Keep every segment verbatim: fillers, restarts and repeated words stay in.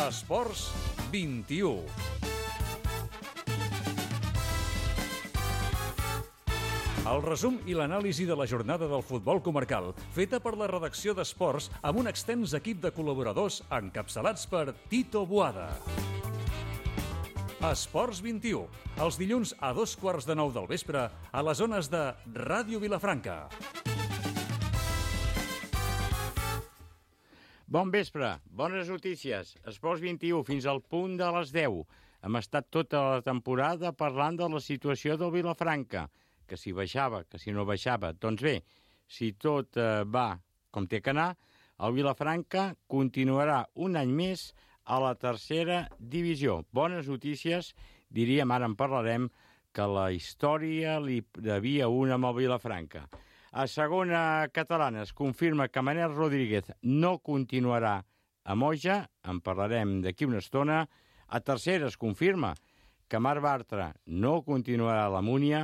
Esports vint-i-u. El resum i l'anàlisi de la jornada del futbol comarcal, feta per la redacció d'Esports amb un extens equip de col·laboradors encapçalats per Tito Boada. Esports vint-i-u, els dilluns a dos quarts de nou del vespre a les zones de Ràdio Vilafranca. Bon vespre, bones notícies. Esports vint-i-u fins al punt de les deu. Hem estat tota la temporada parlant de la situació del Vilafranca, que si baixava, que si no baixava. Doncs bé, si tot eh, va com té que anar, el Vilafranca continuarà un any més a la tercera divisió. Bones notícies, diríem, ara en parlarem, que la història li devia una amb el Vilafranca. A segona catalana es confirma que Manel Rodríguez no continuarà a Moja, en parlarem d'aquí una estona. A tercera es confirma que Marc Bartra no continuarà a la Múnia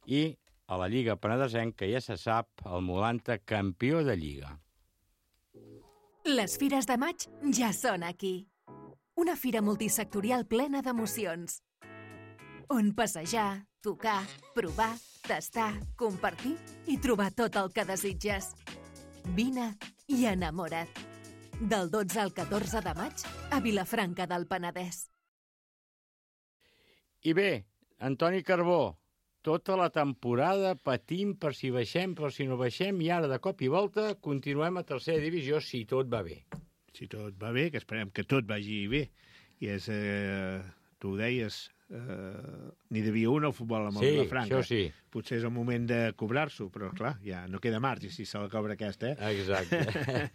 i a la Lliga Penedesenca ja se sap el Molanta campió de Lliga. Les fires de maig ja són aquí. Una fira multisectorial plena d'emocions. On passejar, tocar, provar, tastar, compartir i trobar tot el que desitges. Vine i enamora't. Del dotze al catorze de maig a Vilafranca del Penedès. I bé, Antoni Carbó, tota la temporada patim per si baixem, per si no baixem, i ara de cop i volta continuem a tercera divisió si tot va bé. Si tot va bé, que esperem que tot vagi bé. I és, eh, tu ho deies, Uh, n'hi devia un al futbol amb el sí, Vilafranca. Sí. Potser és el moment de cobrar-s'ho, però clar, ja no queda marge si se la cobra aquesta, eh? Exacte.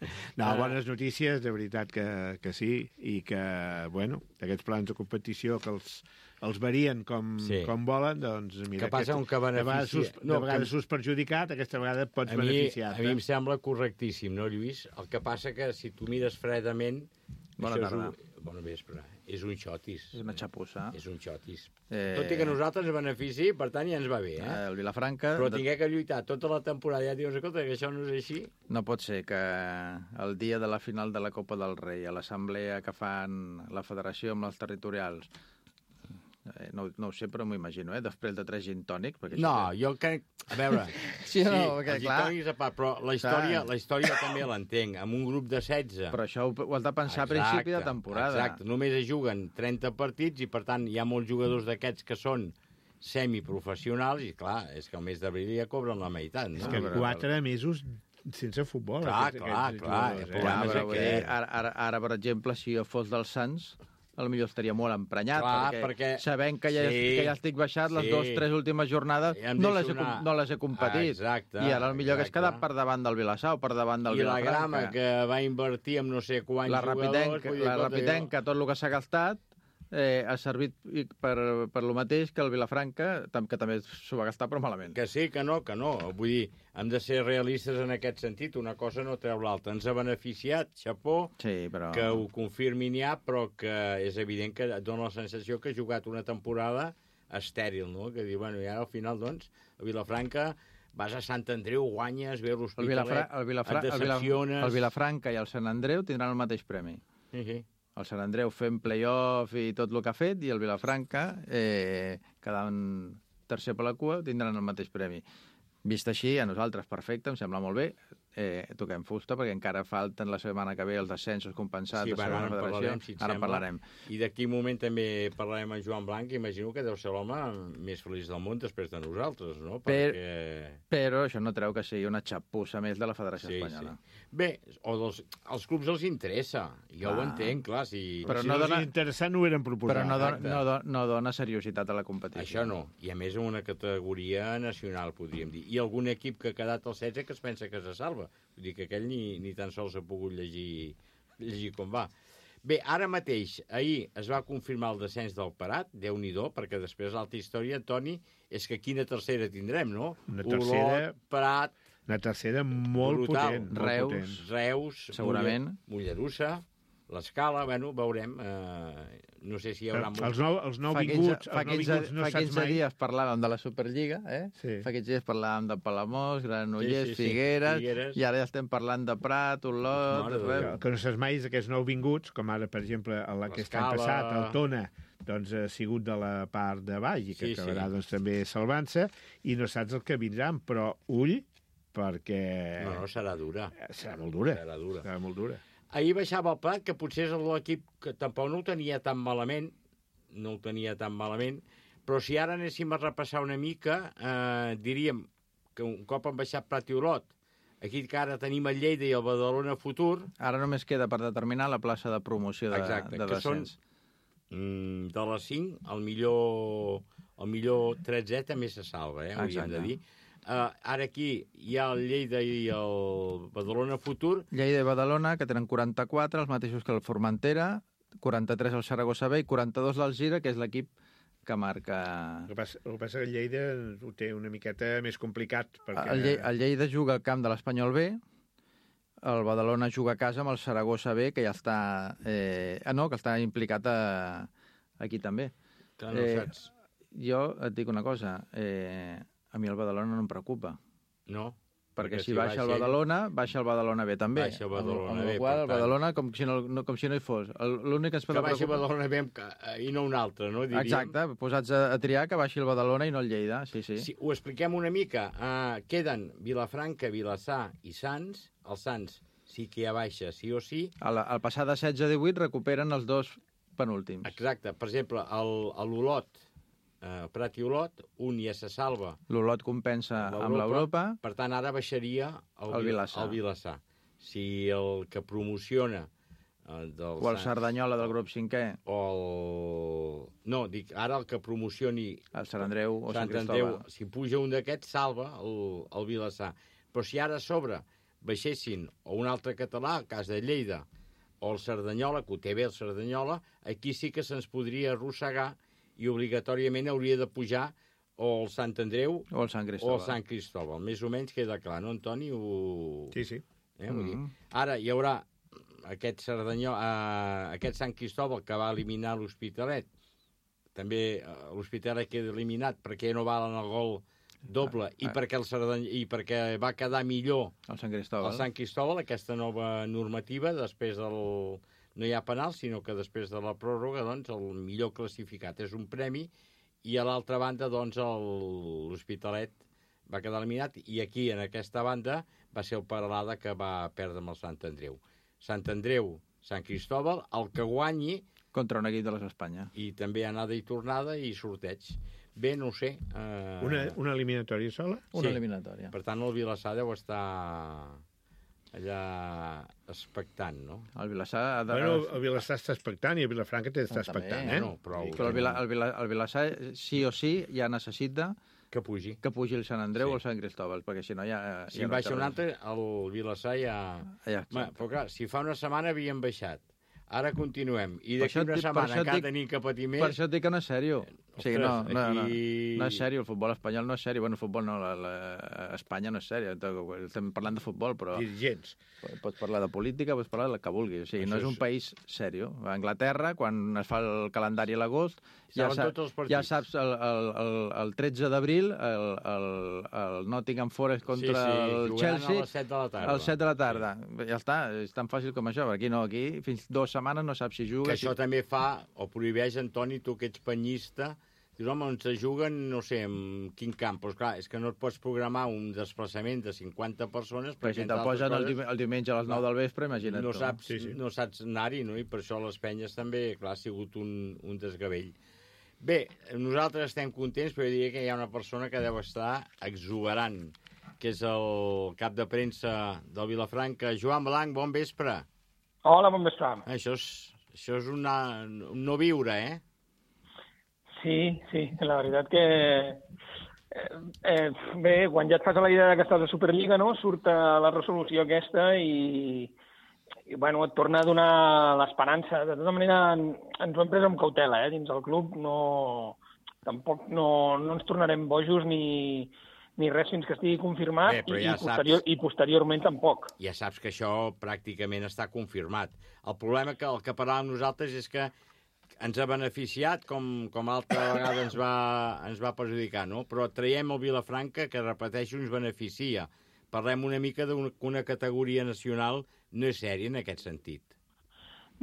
No, bones notícies, de veritat que, que sí, i que, bueno, aquests plans de competició que els, els varien com, sí. com volen, doncs mira... Que passa un que beneficia... De vegades, no, de vegades que... s'us perjudicat, aquesta vegada et pots a mi, beneficiar. A mi em sembla correctíssim, no, Lluís? El que passa que si tu mires fredament... Bona tarda. És un, bona vespre. És un xotis. És una xapussa. És un xotis. Eh... Tot i que nosaltres ens benefici, per tant, ja ens va bé, eh? eh el Vilafranca... Però tingué que lluitar tota la temporada, ja dius, escolta, que això no és així. No pot ser que el dia de la final de la Copa del Rei, a l'assemblea que fan la federació amb els territorials, eh, no, no ho sé, però m'ho imagino, eh? Després de tres gin tònics... Perquè no, que... jo crec... A veure... sí, no, sí, perquè, els clar... gintònics a part, però la història, la història també l'entenc, amb un grup de setze... Però això ho, ho has de pensar exacte, a principi de temporada. Exacte, només es juguen trenta partits i, per tant, hi ha molts jugadors d'aquests que són semiprofessionals i, clar, és que al mes d'abril ja cobren la meitat, no? És que quatre mesos sense futbol. Clar, aquests, clar, aquests clar. jugadors, Eh? Clar, però, vull dir, ara, ara, ara, per exemple, si jo fos dels Sants, potser estaria molt emprenyat, clar, perquè, perquè sabent que ja, sí, que ja estic baixat, les sí. dues, tres últimes jornades ja no les, he, una... no les he competit. Ah, exacte, I ara el millor exacte. que és quedar per davant del Vilassar o per davant del I Vilafranca. la Grama, que va invertir en no sé quants la jugadors... Rapitenc, la Rapitenca, tot el que s'ha gastat, eh, ha servit per, per lo mateix que el Vilafranca, que també s'ho va gastar, però malament. Que sí, que no, que no. Vull dir, hem de ser realistes en aquest sentit. Una cosa no treu l'altra. Ens ha beneficiat, xapó, sí, però... que ho confirmin ja, però que és evident que dona la sensació que ha jugat una temporada estèril, no? Que diu, bueno, i ara al final, doncs, a Vilafranca vas a Sant Andreu, guanyes, ve l'Hospitalet, el Vilafra el Vilafra et decepciones... El, el Vilafranca i el Sant Andreu tindran el mateix premi. Sí, sí. El Sant Andreu fent play-off i tot el que ha fet, i el Vilafranca, eh, quedant tercer per la cua, tindran el mateix premi. Vist així, a nosaltres, perfecte, em sembla molt bé. Eh, toquem fusta, perquè encara falten la setmana que ve els descensos compensats sí, de segona bueno, federació. Parlarem, si ara en parlarem. I d'aquí un moment també parlarem amb Joan Blanc, imagino que deu ser l'home més feliç del món després de nosaltres, no? Per, Perquè... Però això no treu que sigui una xapussa més de la Federació sí, Espanyola. Sí. Bé, o dels, als clubs els interessa, jo clar. Ho entenc, clar. Si, però si no, no dona... interessa no ho eren proposat. Però no, do, no, do, no dona seriositat a la competició. Això no, i a més en una categoria nacional, podríem dir. I algun equip que ha quedat al setze que es pensa que se salva. Vull dir que aquell ni, ni tan sols ha pogut llegir, llegir com va. Bé, ara mateix, ahir es va confirmar el descens del Prat, Déu-n'hi-do, perquè després l'altra història, Toni, és que quina tercera tindrem, no? Una tercera... Olot, Prat... Una tercera molt brutal. potent. Reus, molt potent. Reus, segurament. Mollerussa, l'escala, bueno, veurem. Eh, no sé si hi haurà... Els nou, els nou vinguts, fa els nou vinguts no fa saps quinze mai... dies parlàvem de la Superliga, eh? Sí. Fa quinze dies parlàvem de Palamós, Granollers, Sí, sí, sí. Figueres, Figueres, i ara ja estem parlant de Prat, Olot... Mare de res. Déu. El que no saps mai és aquests nou vinguts, com ara, per exemple, aquest any L'Escala. passat, el Tona, doncs ha sigut de la part de baix i que Sí, acabarà sí. doncs, també salvant-se, i no saps el que vindran, però ull, perquè No, no, serà dura. serà molt dura. Serà dura. Serà molt dura. Ahir baixava el Prat, que potser és l'equip que tampoc no ho tenia tan malament, no ho tenia tan malament, però si ara anéssim a repassar una mica, eh, diríem que un cop han baixat Prat i Olot, aquí que ara tenim el Lleida i el Badalona Futur, Ara només queda per determinar la plaça de promoció de, exacte, de que són descens. mm, de les cinc, el millor, el millor tretzè també se salva, eh, hauríem Exacte. de dir. Uh, ara aquí hi ha el Lleida i el Badalona Futur. Lleida i Badalona, que tenen quaranta-quatre, els mateixos que el Formentera, quaranta-tres el Saragossa B i quaranta-dos l'Alzira, que és l'equip que marca... El que passa, el que passa que el Lleida ho té una miqueta més complicat, perquè... El, Lle el Lleida juga al camp de l'Espanyol B, el Badalona juga a casa amb el Saragossa B, que ja està... Eh... Ah, no, que està implicat a... aquí també. Que no Eh, saps. Jo et dic una cosa, eh... a mi el Badalona no em preocupa, No. perquè, Perquè si si baixa el baixa ell- Badalona, baixa el Badalona B també. Baixa el Badalona amb, amb B, el qual, per el tant. Badalona com si no, no, com si no hi fos. El- L'únic que ens pot Que baixi preocupar... Badalona bé i no un altre, no? Diríem. Exacte, posats a, a triar que baixi el Badalona i no el Lleida, sí, sí. Si ho expliquem una mica, uh, queden Vilafranca, Vilassar i Sants. El Sants sí que ja baixa, sí o sí. Al, al passar de setze a divuit recuperen els dos penúltims. Exacte. Per exemple, el- a l'Olot, uh, Prat i Olot, un ja se salva L'Olot compensa amb l'Europa. Per tant, ara baixaria el, El Vilassar. el Vilassar. Si el que promociona uh, del O el Sants- Cerdanyola del grup cinquè, o el... No, dic, ara el que promocioni el Sant Andreu o Sant, Sant Andreu, Cristòbal. si puja un d'aquests, salva el, el Vilassar. Però si ara a sobre baixessin o un altre català, el cas de Lleida, o el Cerdanyola, que ho té bé el Cerdanyola, aquí sí que se'ns podria arrossegar i obligatòriament hauria de pujar o el Sant Andreu O el Sant o Cristòbal. el Sant Cristòbal. Més o menys queda clar, no, Antoni? Ho... Sí, sí. Eh, vull dir. Mhm. Ara hi haurà aquest Cerdanyol, eh, aquest Sant Cristòbal que va eliminar l'Hospitalet. També eh, l'Hospitalet queda eliminat perquè no valen el gol doble i, Ah. perquè el Cerdany... i perquè va quedar millor El Sant Cristòbal. el Sant Cristòbal, aquesta nova normativa, després del... no hi ha penal, sinó que després de la pròrroga, doncs, el millor classificat és un premi, i a l'altra banda, doncs, el- l'Hospitalet va quedar eliminat, i aquí, en aquesta banda, va ser el Peralada que va perdre amb el Sant Andreu. Sant Andreu, Sant Cristòbal, el que guanyi, Contra un equip de les Espanya. i també anada i tornada i sorteig. Bé, no ho sé. Eh... Una, una eliminatòria sola? Una Sí. eliminatòria. Per tant, el Vilassar deu estar allà expectant, no? El Vilassar ha de... Bueno, el Vilassar està expectant i el Vilafranca té d'estar Ah, també, expectant, eh? eh? No, però- Però el, Vila, el, Vila, el Vilassar sí o sí ja necessita Que pugi. que pugi el Sant Andreu Sí. o el Sant Cristòbal, perquè si no ja... Si ja en no baixa té un res. altre, el Vilassar ja... Ja, Ma, però clar, si fa una setmana havien baixat, ara continuem, i Per d'aquí això et una dic- per setmana això et encara dic- tenim que patir més... Per això et dic que no és sèrio. O sigui, no, Ostres, no, no, aquí- no és sèrio, el futbol espanyol no és sèrio. Bueno, el futbol no, la, la, Espanya no és sèrio. Estem parlant de futbol, però Dirigents. pots parlar de política, pots parlar del que vulguis. O sigui, no Això és un és- país sèrio. A Anglaterra, quan es fa el calendari a l'agost, ja, Saben sa tots els partits. ja saps el, el, el, el tretze d'abril el, el, el Nottingham Forest contra sí, sí, el jugaran Chelsea a les set de la tarda. a les set de la tarda. Ja està, és tan fàcil com això. Aquí no, aquí fins dues setmanes no saps si juga. Que això si... també fa, o prohibeix, Antoni, tu que ets penyista, dius, home, on se juguen, no sé, en quin camp? Doncs clar, és que no et pots programar un desplaçament de cinquanta persones... Però si entre te'l altres posen el, coses, diu- el diumenge a les nou del vespre, imagina't no tu. saps, Sí, sí. no saps anar-hi, no? I per això les penyes també, clar, ha sigut un, un desgavell. Bé, nosaltres estem contents, però jo diria que hi ha una persona que deu estar exuberant, que és el cap de premsa del Vilafranca. Joan Blanc, bon vespre. Hola, bon vespre. Això és, això és una, un no viure, eh? Sí, sí, la veritat que... Eh, eh, bé, quan ja et fas a la idea que estàs a Superliga, no?, surt eh, la resolució aquesta i, i bueno, et torna a donar l'esperança. De tota manera, en- ens ho hem pres amb cautela, eh, dins el club. No, tampoc no, no ens tornarem bojos ni, ni res fins que estigui confirmat, Bé, i, ja i, posterior, saps... i posteriorment tampoc. Ja saps que això pràcticament està confirmat. El problema que el que parlàvem nosaltres és que ens ha beneficiat, com, com altra vegada ens va, ens va perjudicar, no? Però traiem el Vilafranca, que, repeteixo, ens beneficia. Parlem una mica d'una categoria nacional no és sèria en aquest sentit.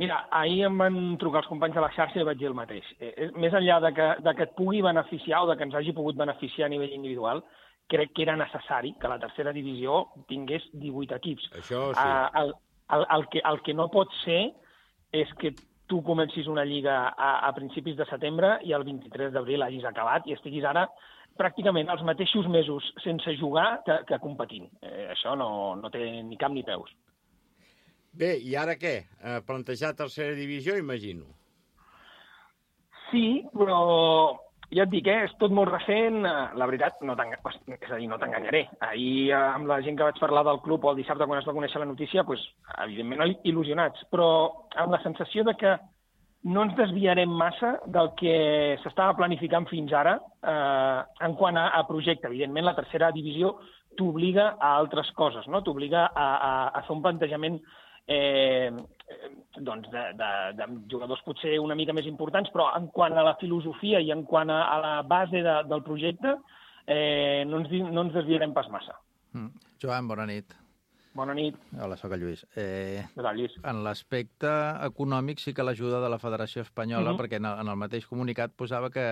Mira, ahir em van trucar els companys de la xarxa i vaig dir el mateix. Eh, més enllà de que, de que et pugui beneficiar o de que ens hagi pogut beneficiar a nivell individual, crec que era necessari que la tercera divisió tingués divuit equips. Això sí. Uh, el, el, el, que, el que no pot ser és que tu comencis una lliga a, a principis de setembre i el vint-i-tres d'abril hagis acabat i estiguis ara pràcticament els mateixos mesos sense jugar que, que competint. Eh, això no, no té ni cap ni peus. Bé, i ara què? Eh, plantejar tercera divisió, imagino. Sí, però ja et dic, eh, és tot molt recent. La veritat, no és a dir, no t'enganyaré. Ahir, amb la gent que vaig parlar del club o el dissabte quan es va conèixer la notícia, pues, evidentment il·lusionats, però amb la sensació de que no ens desviarem massa del que s'estava planificant fins ara eh, en quant a, a projecte. Evidentment, la tercera divisió t'obliga a altres coses, no? T'obliga a, a, a fer un plantejament eh, doncs de, de, de jugadors potser una mica més importants, però en quant a la filosofia i en quant a, a la base de, del projecte eh, no, ens, no ens desviarem pas massa. Mm. Joan, bona nit. Bona nit. Hola, soc el Lluís. Eh, Hola, Lluís. En l'aspecte econòmic sí que l'ajuda de la Federació Espanyola, uh-huh. perquè en el, en el mateix comunicat posava que,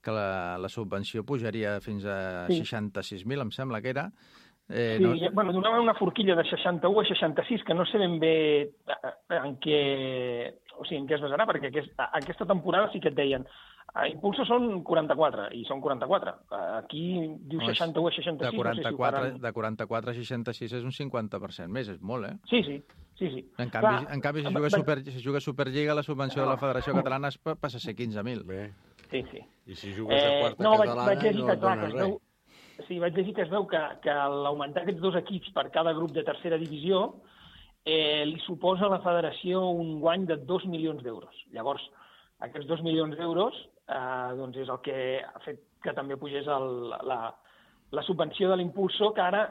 que la, la subvenció pujaria fins a sí. seixanta-sis mil, em sembla que era. Eh, sí, no... ja, bueno, donava una forquilla de seixanta-u a seixanta-sis, que no sé ben bé en què, o sigui, en què es basarà, perquè aquest, aquesta temporada sí que et deien a Impulso són quaranta-quatre, i són quaranta-quatre. Aquí diu seixanta-u a seixanta-sis. De quaranta-quatre, no sé si de quaranta-quatre a seixanta-sis és un cinquanta per cent més, és molt, eh? Sí, sí. sí, sí. En canvi, Clar, en canvi si, juga super, si juga Superliga, la subvenció no. de la Federació Catalana passa a ser quinze mil. Bé. Sí, sí. I si jugues a quarta eh, no, catalana vaig, vaig no et donen res. Veu, sí, vaig llegir que es veu que, que l'augmentar aquests dos equips per cada grup de tercera divisió eh, li suposa a la federació un guany de dos milions d'euros. Llavors, aquests dos milions d'euros eh, doncs és el que ha fet que també pugés el, la, la subvenció de l'Impulso, que ara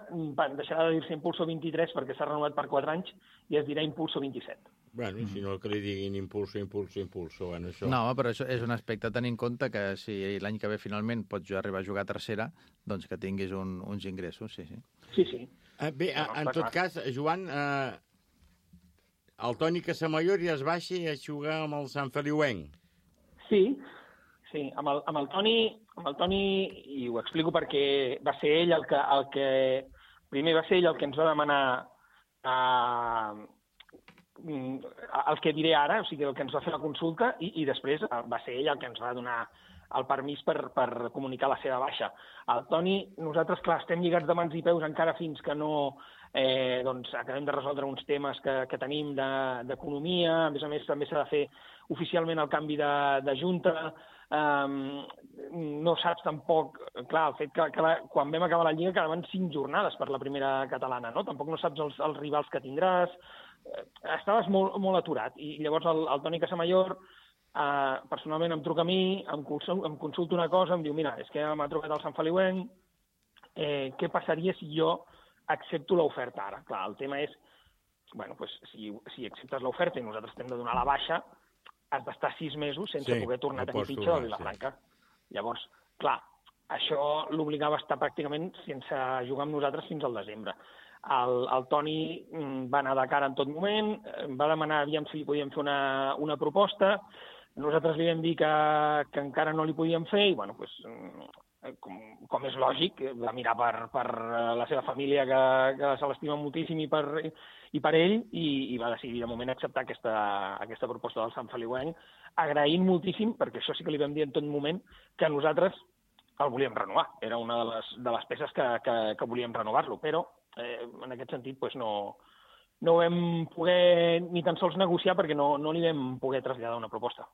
deixarà de dir-se Impulso vint-i-tres perquè s'ha renovat per quatre anys i es dirà Impulso vint-i-set. Bueno, si no que li diguin Impulso, Impulso, Impulso, bueno, això... No, però això és un aspecte a tenir en compte que si l'any que ve finalment pots arribar a jugar a tercera, doncs que tinguis un, uns ingressos, sí, sí. Sí, sí. Uh, bé, no, en tot clar. cas, Joan, uh, el Toni Casamayor ja es baixa a jugar amb el Sant Feliuenc. Sí, sí, amb el, amb el Toni, amb el Toni, i ho explico perquè va ser ell el que, el que primer va ser ell el que ens va demanar eh, el que diré ara, o sigui, el que ens va fer la consulta, i, i després va ser ell el que ens va donar el permís per, per comunicar la seva baixa. El Toni, nosaltres, clar, estem lligats de mans i peus encara fins que no eh, doncs, acabem de resoldre uns temes que, que tenim d'economia, a més a més també s'ha de fer oficialment el canvi de, de junta, um, no saps tampoc, clar, el fet que, que la, quan vam acabar la Lliga quedaven cinc jornades per la primera catalana, no? Tampoc no saps els, els rivals que tindràs, estaves molt, molt aturat, i llavors el, el Toni Casamayor eh, personalment em truca a mi, em, em consulta una cosa, em diu, mira, és que m'ha trucat el Sant Feliuenc, eh, què passaria si jo accepto l'oferta ara? Clar, el tema és, bueno, pues, si, si acceptes l'oferta i nosaltres t'hem de donar la baixa, has d'estar sis mesos sense sí, poder tornar no a tenir fitxa del Vilafranca. Sí. Llavors, clar, això l'obligava a estar pràcticament sense jugar amb nosaltres fins al desembre. El, el Toni va anar de cara en tot moment, va demanar aviam si li podíem fer una, una proposta, nosaltres li vam dir que, que encara no li podíem fer i, bueno, pues, com, com és lògic, va mirar per, per la seva família, que, que se l'estima moltíssim, i per, i per ell, i, i va decidir de moment acceptar aquesta, aquesta proposta del Sant Feliuenc, agraint moltíssim, perquè això sí que li vam dir en tot moment, que nosaltres el volíem renovar. Era una de les, de les peces que, que, que volíem renovar-lo, però eh, en aquest sentit pues, no, no vam poder ni tan sols negociar perquè no, no li vam poder traslladar una proposta.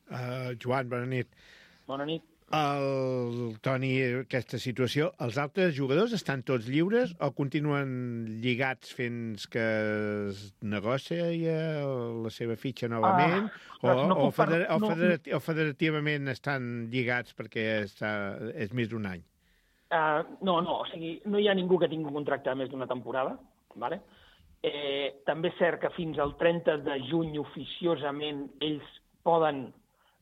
Uh, Joan, bona nit. Bona nit. El Toni, aquesta situació, els altres jugadors estan tots lliures o continuen lligats fins que es negocia la seva fitxa novament? Ah, o, no o, feder, o, federati, o federativament estan lligats perquè està, és més d'un any? Uh, no, no, o sigui, no hi ha ningú que tingui un contracte de més d'una temporada, vale? Eh, també és cert que fins al trenta de juny oficiosament ells poden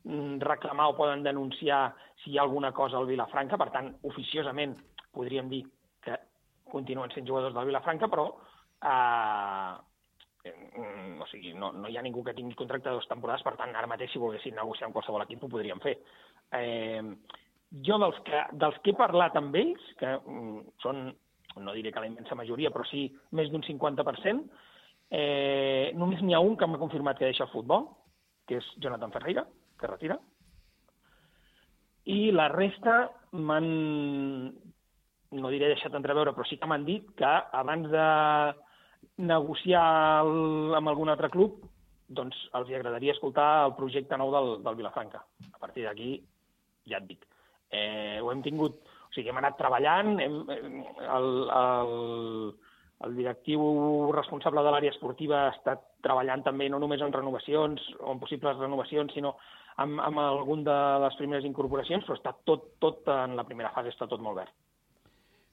mm, reclamar o poden denunciar si hi ha alguna cosa al Vilafranca, per tant, oficiosament podríem dir que continuen sent jugadors del Vilafranca, però eh, eh, o sigui, no, no hi ha ningú que tingui contracte de dues temporades, per tant, ara mateix si volguessin negociar amb qualsevol equip ho podrien fer. Eh, Jo dels que, dels que he parlat amb ells, que mm, són, no diré que la immensa majoria, però sí més d'un cinquanta per cent, eh, només n'hi ha un que m'ha confirmat que deixa el futbol, que és Jonathan Ferreira, que retira, i la resta m'han, no diré deixat entreveure, però sí que m'han dit que abans de negociar el, amb algun altre club, doncs els agradaria escoltar el projecte nou del, del Vilafranca. A partir d'aquí, ja et dic, Eh, ho hem tingut, o sigui, hem anat treballant, hem, el, el, el directiu responsable de l'àrea esportiva ha estat treballant també no només en renovacions o en possibles renovacions, sinó amb, amb algun de les primeres incorporacions, però està tot, tot en la primera fase, està tot molt verd.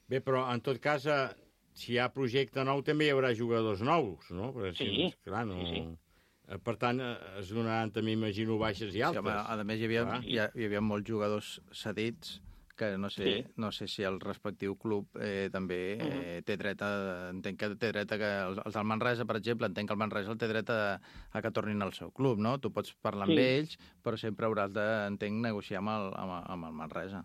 Bé, però en tot cas, si hi ha projecte nou també hi haurà jugadors nous, no? Perquè, sí, si, clar, no... sí, sí. Per tant, es donaran també, imagino, baixes i altes. Sí, home, a més, hi havia, hi, hi havia molts jugadors cedits que no sé, sí. no sé si el respectiu club eh, també eh, uh-huh. té dret a... Entenc que té dret a que... Els, els del Manresa, per exemple, entenc que el Manresa el té dret a, a que tornin al seu club, no? Tu pots parlar amb sí. ells, però sempre hauràs de, entenc, negociar amb el, amb, amb el Manresa.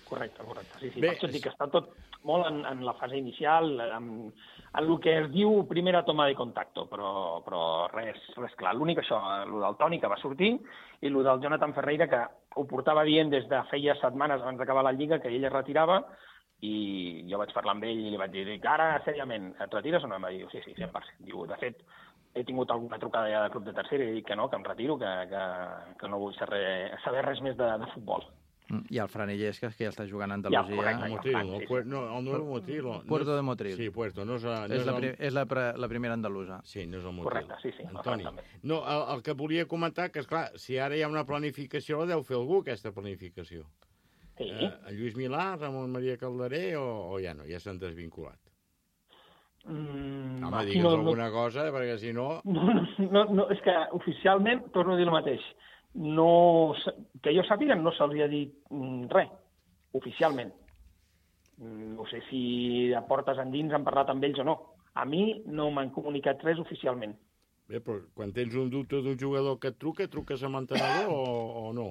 Correcte, correcte. Sí, sí. Bé, per això dic que està tot molt en, en la fase inicial, en, en el que es diu primera toma de contacto, però, però res, res clar. L'únic això, el del Toni, que va sortir, i el del Jonathan Ferreira, que ho portava dient des de feia setmanes abans d'acabar la Lliga, que ell es retirava, i jo vaig parlar amb ell i li vaig dir que ara, sèriament, et retires o no? Em va dir, sí, sí, cent per cent. Diu, de fet, he tingut alguna trucada ja de club de tercera i he dit que no, que em retiro, que, que, que no vull saber, saber res més de, de futbol. I el Fran Illescas, que ja està jugant a Andalusia. Ja, correcte, Motril, no, sí, sí. no, el nuevo Motril. Puerto de Motril. Sí, Puerto. No és, no és, la, pri és la, pre la primera andalusa. Sí, no és el Motril. Correcte, sí, sí. Antoni. No, el, el que volia comentar, que, esclar, si ara hi ha una planificació, la deu fer algú, aquesta planificació. Sí. Eh, en Lluís Milà, Ramon Maria Calderé, o, o ja no, ja s'han desvinculat? Mm, Home, digue'ns no, alguna no... cosa, perquè si no... No, no, no... És que oficialment, torno a dir el mateix, no, que jo sàpiga, no se'ls ha dit res, oficialment. No sé si a portes endins han parlat amb ells o no. A mi no m'han comunicat res oficialment. Bé, però quan tens un dubte d'un jugador que et truca, truques a l'entrenador o, o no?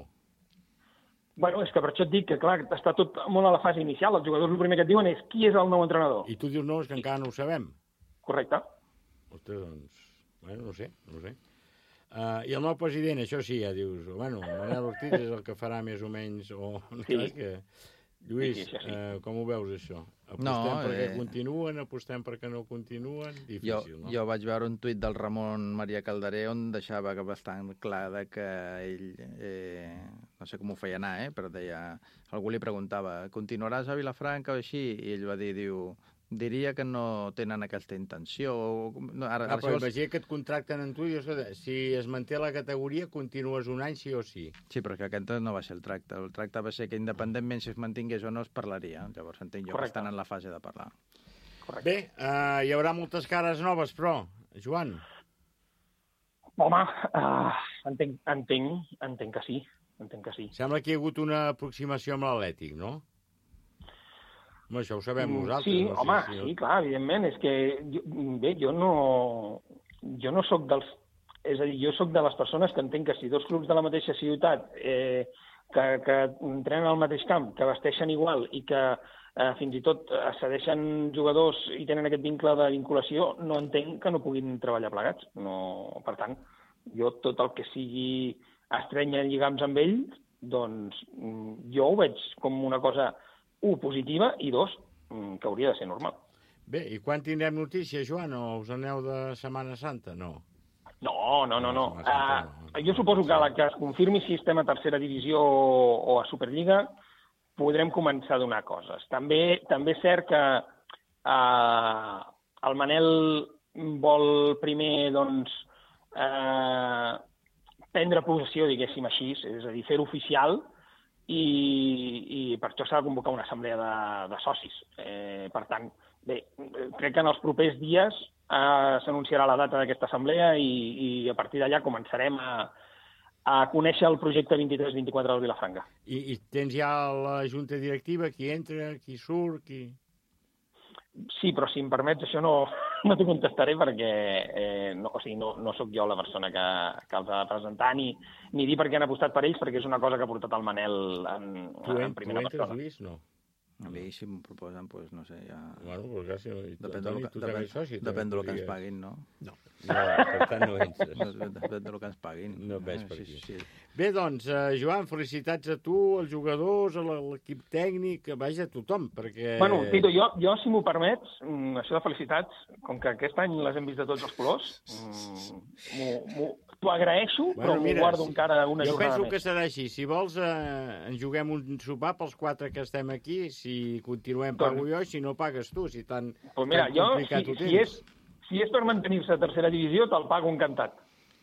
Bueno, és que per això et dic que, clar, està tot molt a la fase inicial. Els jugadors el primer que et diuen és qui és el nou entrenador. I tu dius no, és que encara no ho sabem. Correcte. Ostres, doncs, bueno, no sé, no sé. Uh, I el nou president, això sí, ja dius, bueno, Manel Ortiz és el que farà més o menys, o no sí. que... Lluís, sí, sí, sí. Uh, com ho veus, això? Apostem no, perquè eh... continuen, apostem perquè no continuen? Difícil, jo, no? Jo vaig veure un tuit del Ramon Maria Calderé on deixava que bastant clar que ell, eh, no sé com ho feia anar, eh, però deia, algú li preguntava, continuaràs a Vilafranca o així? I ell va dir, diu... Diria que no tenen aquesta intenció. No, ara, ah, però imagina que et contracten en tu i si es manté la categoria continues un any sí o sí. Sí, però que aquest no va ser el tracte. El tracte va ser que independentment si es mantingués o no es parlaria. Llavors entenc jo Correcte. Que estan en la fase de parlar. Correcte. Bé, uh, hi haurà moltes cares noves, però, Joan? Home, uh, entenc, entenc, entenc que sí. Entenc que sí. Sembla que hi ha hagut una aproximació amb l'Atlètic, no? Home, això ho sabem nosaltres. Sí, no? home, sí, sí, sí, clar, evidentment. És que, jo, bé, jo no, jo no sóc dels... És a dir, jo sóc de les persones que entenc que si dos clubs de la mateixa ciutat eh, que, que entrenen al mateix camp, que vesteixen igual i que eh, fins i tot cedeixen jugadors i tenen aquest vincle de vinculació, no entenc que no puguin treballar plegats. No, per tant, jo tot el que sigui estrènyer lligams amb ells, doncs jo ho veig com una cosa... un, positiva, i dos, que hauria de ser normal. Bé, i quan tindrem notícies, Joan? O us aneu de Setmana Santa? No. No, no, no. no. Uh, jo suposo que a la que es confirmi si estem a tercera divisió o a Superliga podrem començar a donar coses. També també és cert que uh, el Manel vol primer, doncs, uh, prendre possessió, diguéssim així, és a dir, fer-ho oficial, i, i per això s'ha de convocar una assemblea de, de socis. Eh, per tant, bé, crec que en els propers dies eh, s'anunciarà la data d'aquesta assemblea i, i a partir d'allà començarem a, a conèixer el projecte vint-i-tres vint-i-quatre del Vilafranca. I, I tens ja la junta directiva, qui entra, qui surt, qui... Sí, però si em permets, això no, no t'ho contestaré perquè eh, no, o sigui, no, no sóc jo la persona que, que els ha de presentar ni, ni dir per què han apostat per ells, perquè és una cosa que ha portat el Manel en, tu en, en primera tu persona. Tu entres, Lluís? No. A mi, si m'ho proposen, doncs, no sé, ja... Bueno, pues ja, si no... Depèn del que, depèn, soci, depèn del que ens paguin, no? No. No, per tant no entres. Depèn del que ens paguin. No ves per aquí. Sí, sí. Bé, doncs, uh, Joan, felicitats a tu, als jugadors, a l'equip tècnic, vaja, a tothom, perquè... Bueno, Tito, jo, jo si m'ho permets, això de felicitats, com que aquest any les hem vist de tots els colors, t'ho agraeixo, bueno, però m'ho guardo encara una jo jornada més. Jo penso que serà així. Si vols, eh, ens juguem un sopar pels quatre que estem aquí, si continuem pago jo, si no pagues tu, si tan, pues mira, tan jo, complicat si, ho tens. Si és, si és per mantenir-se a tercera divisió, te'l pago encantat.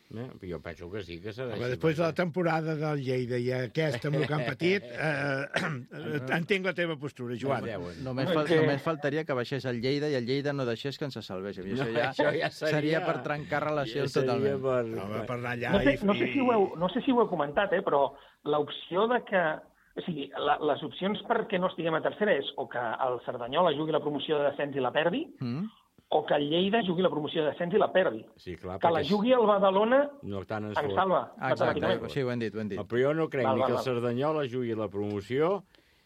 Eh, jo penso que sí, que serà Home, així. després de la temporada del Lleida i aquesta amb el que han patit, eh, entenc la teva postura, Joan. Només, fal només faltaria que baixés el Lleida i el Lleida no deixés que ens salvés. I això, No, ja, això ja seria... seria per trencar relacions ja totalment. Per... Home, per anar allà No sé, i... no, sé si ho heu, no sé si ho heu comentat, eh, però l'opció de que... O sigui, la, les opcions perquè no estiguem a tercera és o que el Cerdanyola jugui la promoció de descens i la perdi, mm. o que el Lleida jugui la promoció de descens i la perdi. Sí, clar, que la jugui el Badalona no tant ens en salva. Ah, exacte, sí, ho hem dit, ho hem dit. Però jo no crec val, ni val, que el val. Cerdanyola jugui la promoció,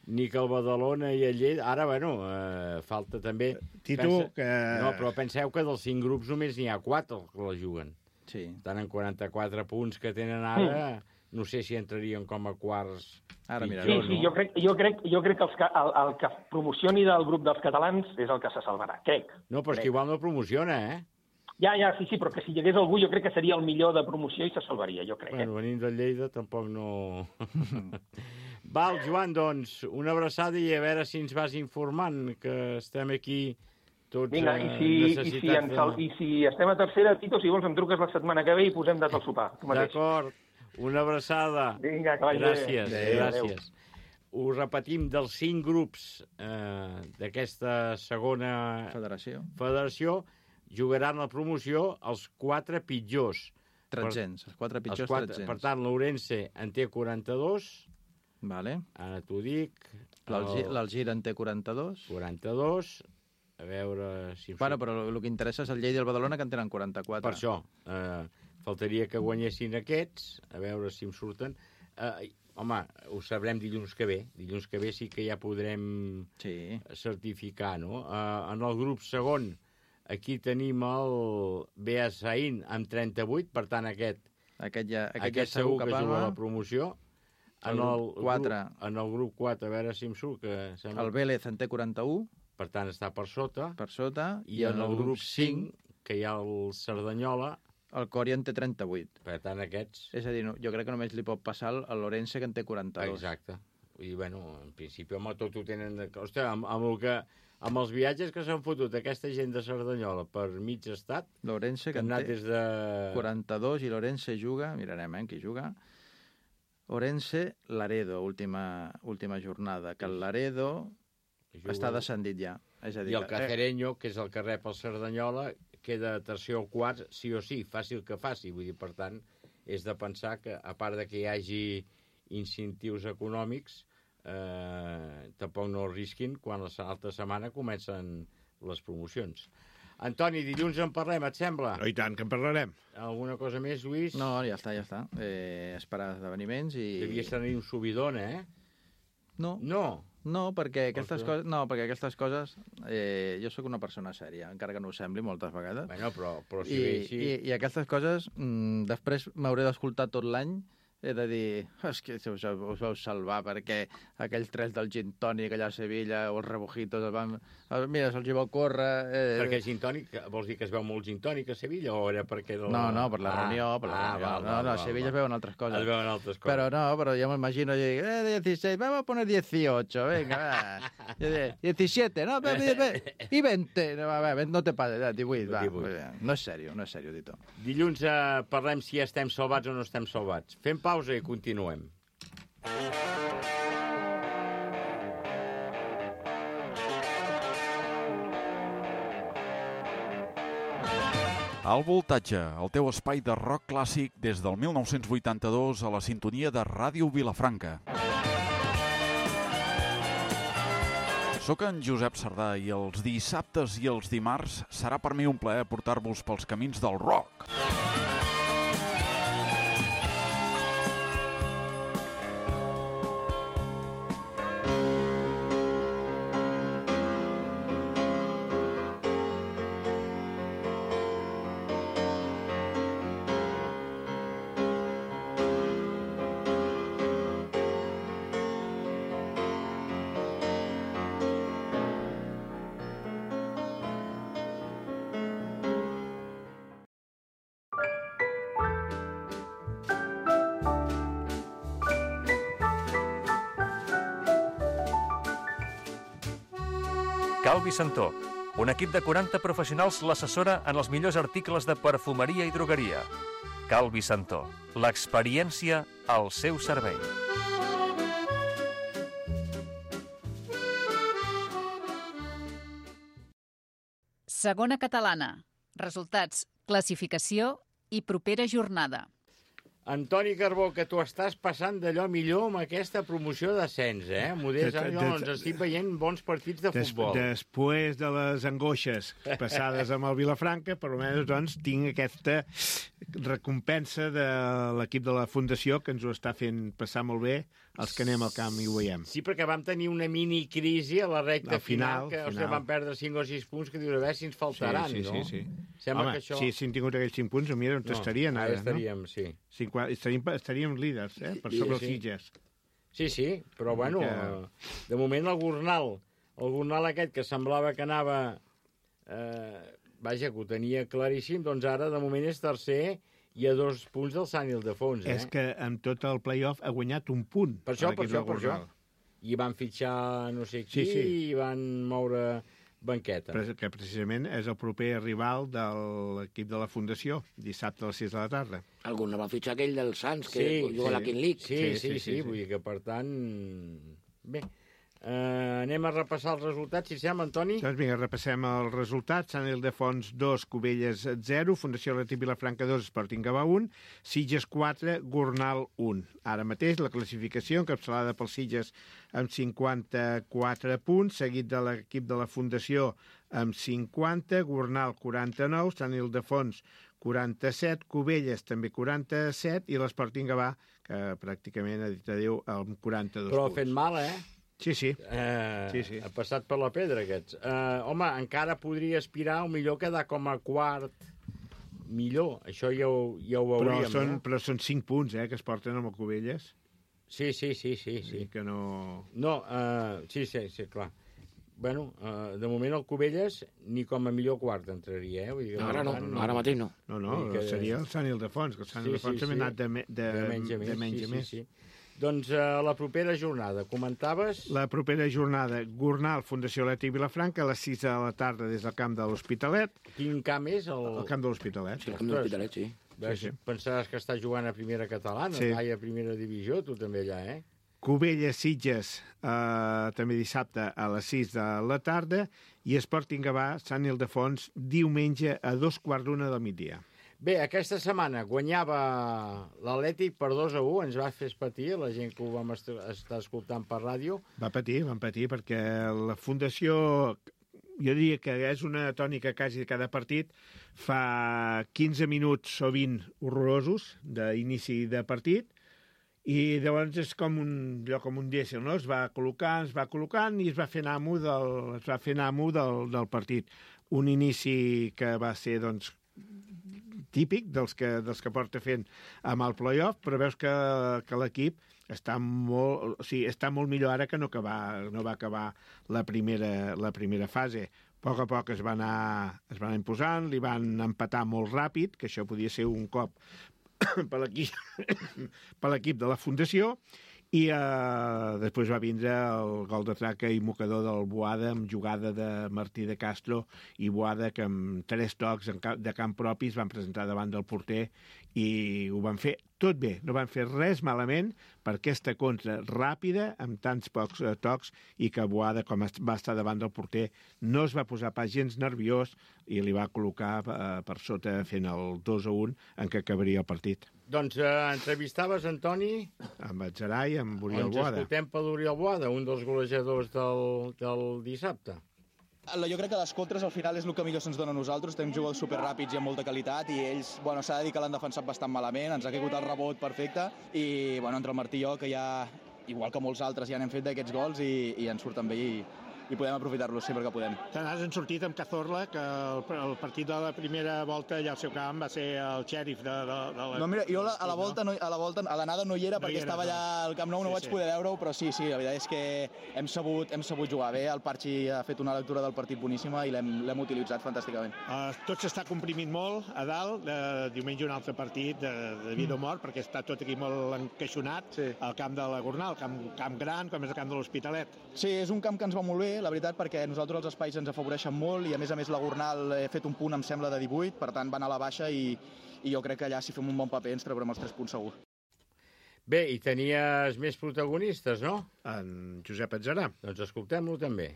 ni que el Badalona i el Lleida... Ara, bueno, eh, falta també... Tito, Pensa... que... No, però penseu que dels cinc grups només n'hi ha quatre que la juguen. Sí. Estan en quaranta-quatre punts que tenen ara... Mm. No sé si entrarien com a quarts... Ara, mira, Sí, pitjor, sí, no? jo crec, jo crec, jo crec que els, el, el que promocioni del grup dels catalans és el que se salvarà, crec. No, però és que igual no promociona, eh? Ja, ja, sí, sí, però que si hi hagués algú jo crec que seria el millor de promoció i se salvaria, jo crec. Bueno, Eh? venint de Lleida tampoc no... Val, Joan, doncs, una abraçada i a veure si ens vas informant, que estem aquí tots Vinga, i si, i, si ens, de... i si estem a tercera, Tito, si vols em truques la setmana que ve i posem data al sopar. D'acord, una abraçada. Vinga, que vagi bé. Gràcies, Adéu. gràcies. Ho repetim, dels cinc grups eh, d'aquesta segona Federació. federació jugaran la promoció els quatre pitjors. Tretzens, els quatre pitjors els quatre, tretzens. per tant, l'Ourense en té quaranta-dos, Vale. ara t'ho dic. L'Algir en té quaranta-dos. quaranta-dos, a veure si... Bueno, però el que interessa és el Lleida i el Badalona, que en tenen quaranta-quatre. Per això, eh, faltaria que guanyessin aquests, a veure si em surten. Eh, home, ho sabrem dilluns que ve. Dilluns que ve sí que ja podrem Sí. certificar, no? Eh, en el grup segon, aquí tenim el Beasain amb trenta-vuit, per tant, aquest, Aquest, ja, aquest, aquest ja segur que parla. juga a la promoció. En El el, grup quatre. Grup, en el grup quatre, a veure si em surt, que sembla... El Vélez en té quaranta-u, Per tant, està per sota. per sota. I, en el grup cinc, que hi ha el Cerdanyola, el Cori en té trenta-vuit. per tant, aquests... És a dir, no, jo crec que només li pot passar al l'Orense, que en té quaranta-dos. Exacte. I, bueno, en principi, home, tot ho tenen... Ostres, amb, amb, el que, amb els viatges que s'han fotut aquesta gent de Cerdanyola per mig estat, L'Orense, que que han en anat té des de... quaranta-dos, i l'Orense juga, mirarem eh, qui juga, Orense, Laredo, última, última jornada, que el Laredo Juga... està descendit ja. És a dir, I el que- Cacereño, que és el que rep el Cerdanyola, queda tercer o quart, sí o sí, fàcil que faci. Vull dir, per tant, és de pensar que, a part de que hi hagi incentius econòmics, eh, tampoc no el risquin quan l'altra setmana comencen les promocions. Antoni, dilluns en parlem, et sembla? Oh, i tant, que en parlarem. Alguna cosa més, Lluís? No, ja està, ja està. Eh, esperar esdeveniments i... Devies tenir un subidon, eh? No, No. no, perquè aquestes Ostres. coses, no, perquè aquestes coses eh, jo sóc una persona sèria, encara que no ho sembli moltes vegades. Bueno, però, però si I, ve així... i, I aquestes coses mm, després m'hauré d'escoltar tot l'any. He de dir, és que us, us vau salvar perquè aquells tres del gin tònic allà a Sevilla o els rebujitos el van... Mira, se'ls hi va córrer... Eh... Perquè gin tònic, vols dir que es veu molt gin tònic a Sevilla o era perquè... De la... No, no, per la ah, reunió, per la ah, reunió. val, no, val, no, a val, Sevilla val. es veuen altres coses. Es veuen altres coses. Pero no, pero yo me imagino, yo digo, eh, dieciséis, vamos a poner dieciocho, venga, va. Yo digo, diecisiete, no, ve, ve, ve, y veinte, no, va, va, no te pases, eh, divuit, va. divuit. No és sèrio, no és sèrio, Tito. Dilluns eh, parlem si estem salvats o no estem salvats. Fem pausa i continuem. Al Voltatge, el teu espai de rock clàssic des del mil nou-cents vuitanta-dos a la sintonia de Ràdio Vilafranca. Soc en Josep Sardà i els dissabtes i els dimarts serà per mi un plaer portar-vos pels camins del rock. Calvi Santó, un equip de quaranta professionals l'assessora en els millors articles de perfumeria i drogueria. Calvi Santó, l'experiència al seu servei. Segona catalana. Resultats, classificació i propera jornada. Antoni Carbó, que tu estàs passant d'allò millor amb aquesta promoció d'ascens, eh? Modest, allò, ens estic veient bons partits de futbol. Des, després de les angoixes passades amb el Vilafranca, per almenys, doncs, tinc aquesta recompensa de l'equip de la Fundació, que ens ho està fent passar molt bé, els que anem al camp i ho veiem. Sí, perquè vam tenir una mini crisi a la recta al final, final, que final. O sigui, vam perdre cinc o sis punts, que dius, a veure si ens faltaran, sí, sí, no? Sí, sí. Sembla Home, que això... si haguéssim tingut aquells cinc punts, mira on no, estarien ara, estaríem, no? sí. Sí, estaríem, estaríem líders, eh? Per sobre sí, els Sitges. Sí, sí, però bueno, que... de moment el Gornal, el Gornal aquest que semblava que anava... Eh, vaja, que ho tenia claríssim, doncs ara de moment és tercer i a dos punts del Sant Ildefons, eh? És que amb tot el play-off ha guanyat un punt. Per això, per això, per això. I van fitxar no sé qui, sí, sí. I van moure banqueta. Però que precisament és el proper rival de l'equip de la Fundació, dissabte a les sis de la tarda. Algun no va fitxar aquell del Sants, que sí, juga sí. a la King League. Sí, sí, sí, sí, sí, sí. Vull dir que, per tant... Bé, Uh, anem a repassar els resultats, si sembla, Antoni? Doncs vinga, repassem els resultats. Sant Ildefons dos, Cubelles zero, Fundació Atlètic Vilafranca dos, Sporting Gavà un, Sitges quatre, Gornal un. Ara mateix la classificació encapçalada pels Sitges amb cinquanta-quatre punts, seguit de l'equip de la Fundació amb cinquanta, Gornal quaranta-nou, Sant Ildefons quaranta-set, Cubelles també quaranta-set i l'Sporting Gavà, que pràcticament ha dit adéu, amb quaranta-dos Però punts. ha fet mal, eh? Sí, sí. Eh, sí, sí. Ha passat per la pedra, aquests. Eh, home, encara podria aspirar, o millor quedar com a quart. Millor, això ja ho, ja ho veuríem. Però són, no? però són cinc punts, eh, que es porten amb el Cubelles. Sí, sí, sí, sí. sí. Que no... No, uh, sí, sí, sí, clar. Bueno, uh, de moment el Cubelles ni com a millor quart entraria, eh? Vull dir que no, ara no, no, ara mateix no. No, no, que... seria el Sant Ildefons, que el Sant sí, Ildefons sí, també sí. ha anat de, me, de, de menys a més. De menys sí, a més. Sí, sí. Doncs uh, la propera jornada, comentaves? La propera jornada, Gornal, Fundació Atlètic Vilafranca, a les sis de la tarda des del camp de l'Hospitalet. Quin camp és? El, el camp de l'Hospitalet. Sí, el camp de l'Hospitalet, sí. sí, sí. Pensaràs que està jugant a primera catalana, sí. Mai a primera divisió, tu també allà, eh? Cubelles, Sitges, eh, també dissabte a les sis de la tarda, i Sporting Gavà, Sant Ildefons, diumenge a dos quarts d'una del migdia. Bé, aquesta setmana guanyava l'Atlètic per dos a u, ens va fer patir, la gent que ho vam est estar escoltant per ràdio. Va patir, van patir, perquè la Fundació, jo diria que és una tònica quasi de cada partit, fa quinze minuts o vint horrorosos d'inici de partit, i llavors és com un, allò com un dièsel, no? Es va col·locant, es va col·locant i es va fer amo del, es va fer amo del, del partit. Un inici que va ser, doncs, típic dels que, dels que porta fent amb el play-off, però veus que, que l'equip està molt, o sigui, està molt millor ara que no, que va, no va acabar la primera, la primera fase. A poc a poc es va anar, es va anar imposant, li van empatar molt ràpid, que això podia ser un cop per l'equip de la Fundació, i eh, després va vindre el gol de traca i mocador del Boada amb jugada de Martí de Castro i Boada, que amb tres tocs de camp propi es van presentar davant del porter i ho van fer tot bé, no van fer res malament per aquesta contra ràpida, amb tants pocs eh, tocs, i que Boada, com va estar davant del porter, no es va posar pas gens nerviós i li va col·locar eh, per sota fent el dos a un en què acabaria el partit. Doncs eh, entrevistaves, Antoni? Amb el Gerai i amb Oriol Ens Boada. escoltem per l'Oriol Boada, un dels golejadors del, del dissabte. Jo crec que les contres al final és el que millor se'ns dona a nosaltres. Tenim jugadors superràpids i amb molta qualitat i ells, bueno, s'ha de dir que l'han defensat bastant malament, ens ha caigut el rebot perfecte i, bueno, entre el Martí i jo, que ja, igual que molts altres, ja n'hem fet d'aquests gols i, i ens surten bé i, i podem aprofitar-los sempre que podem. Tant has sortit amb Cazorla, que el, el partit de la primera volta allà al seu camp va ser el xèrif de, de, de la... No, mira, jo a la volta, no, a la volta, a l'anada no hi era no perquè hi era, estava allà no. al Camp Nou, no sí, vaig sí. poder veure-ho, però sí, sí, la veritat és que hem sabut, hem sabut jugar bé, el Parchi ha fet una lectura del partit boníssima i l'hem utilitzat fantàsticament. Uh, tot s'està comprimint molt a dalt, uh, diumenge un altre partit de, de vida o mort, perquè està tot aquí molt encaixonat, sí. al camp de la Gornal, camp, camp gran, com és el camp de l'Hospitalet. Sí, és un camp que ens va molt bé, la veritat, perquè nosaltres els espais ens afavoreixen molt i a més a més la Gornal he fet un punt em sembla de divuit, per tant va anar a la baixa i, i jo crec que allà si fem un bon paper ens traurem els tres punts segur. Bé, i tenies més protagonistes, no? En Josep Atzarà. Doncs escoltem-lo també.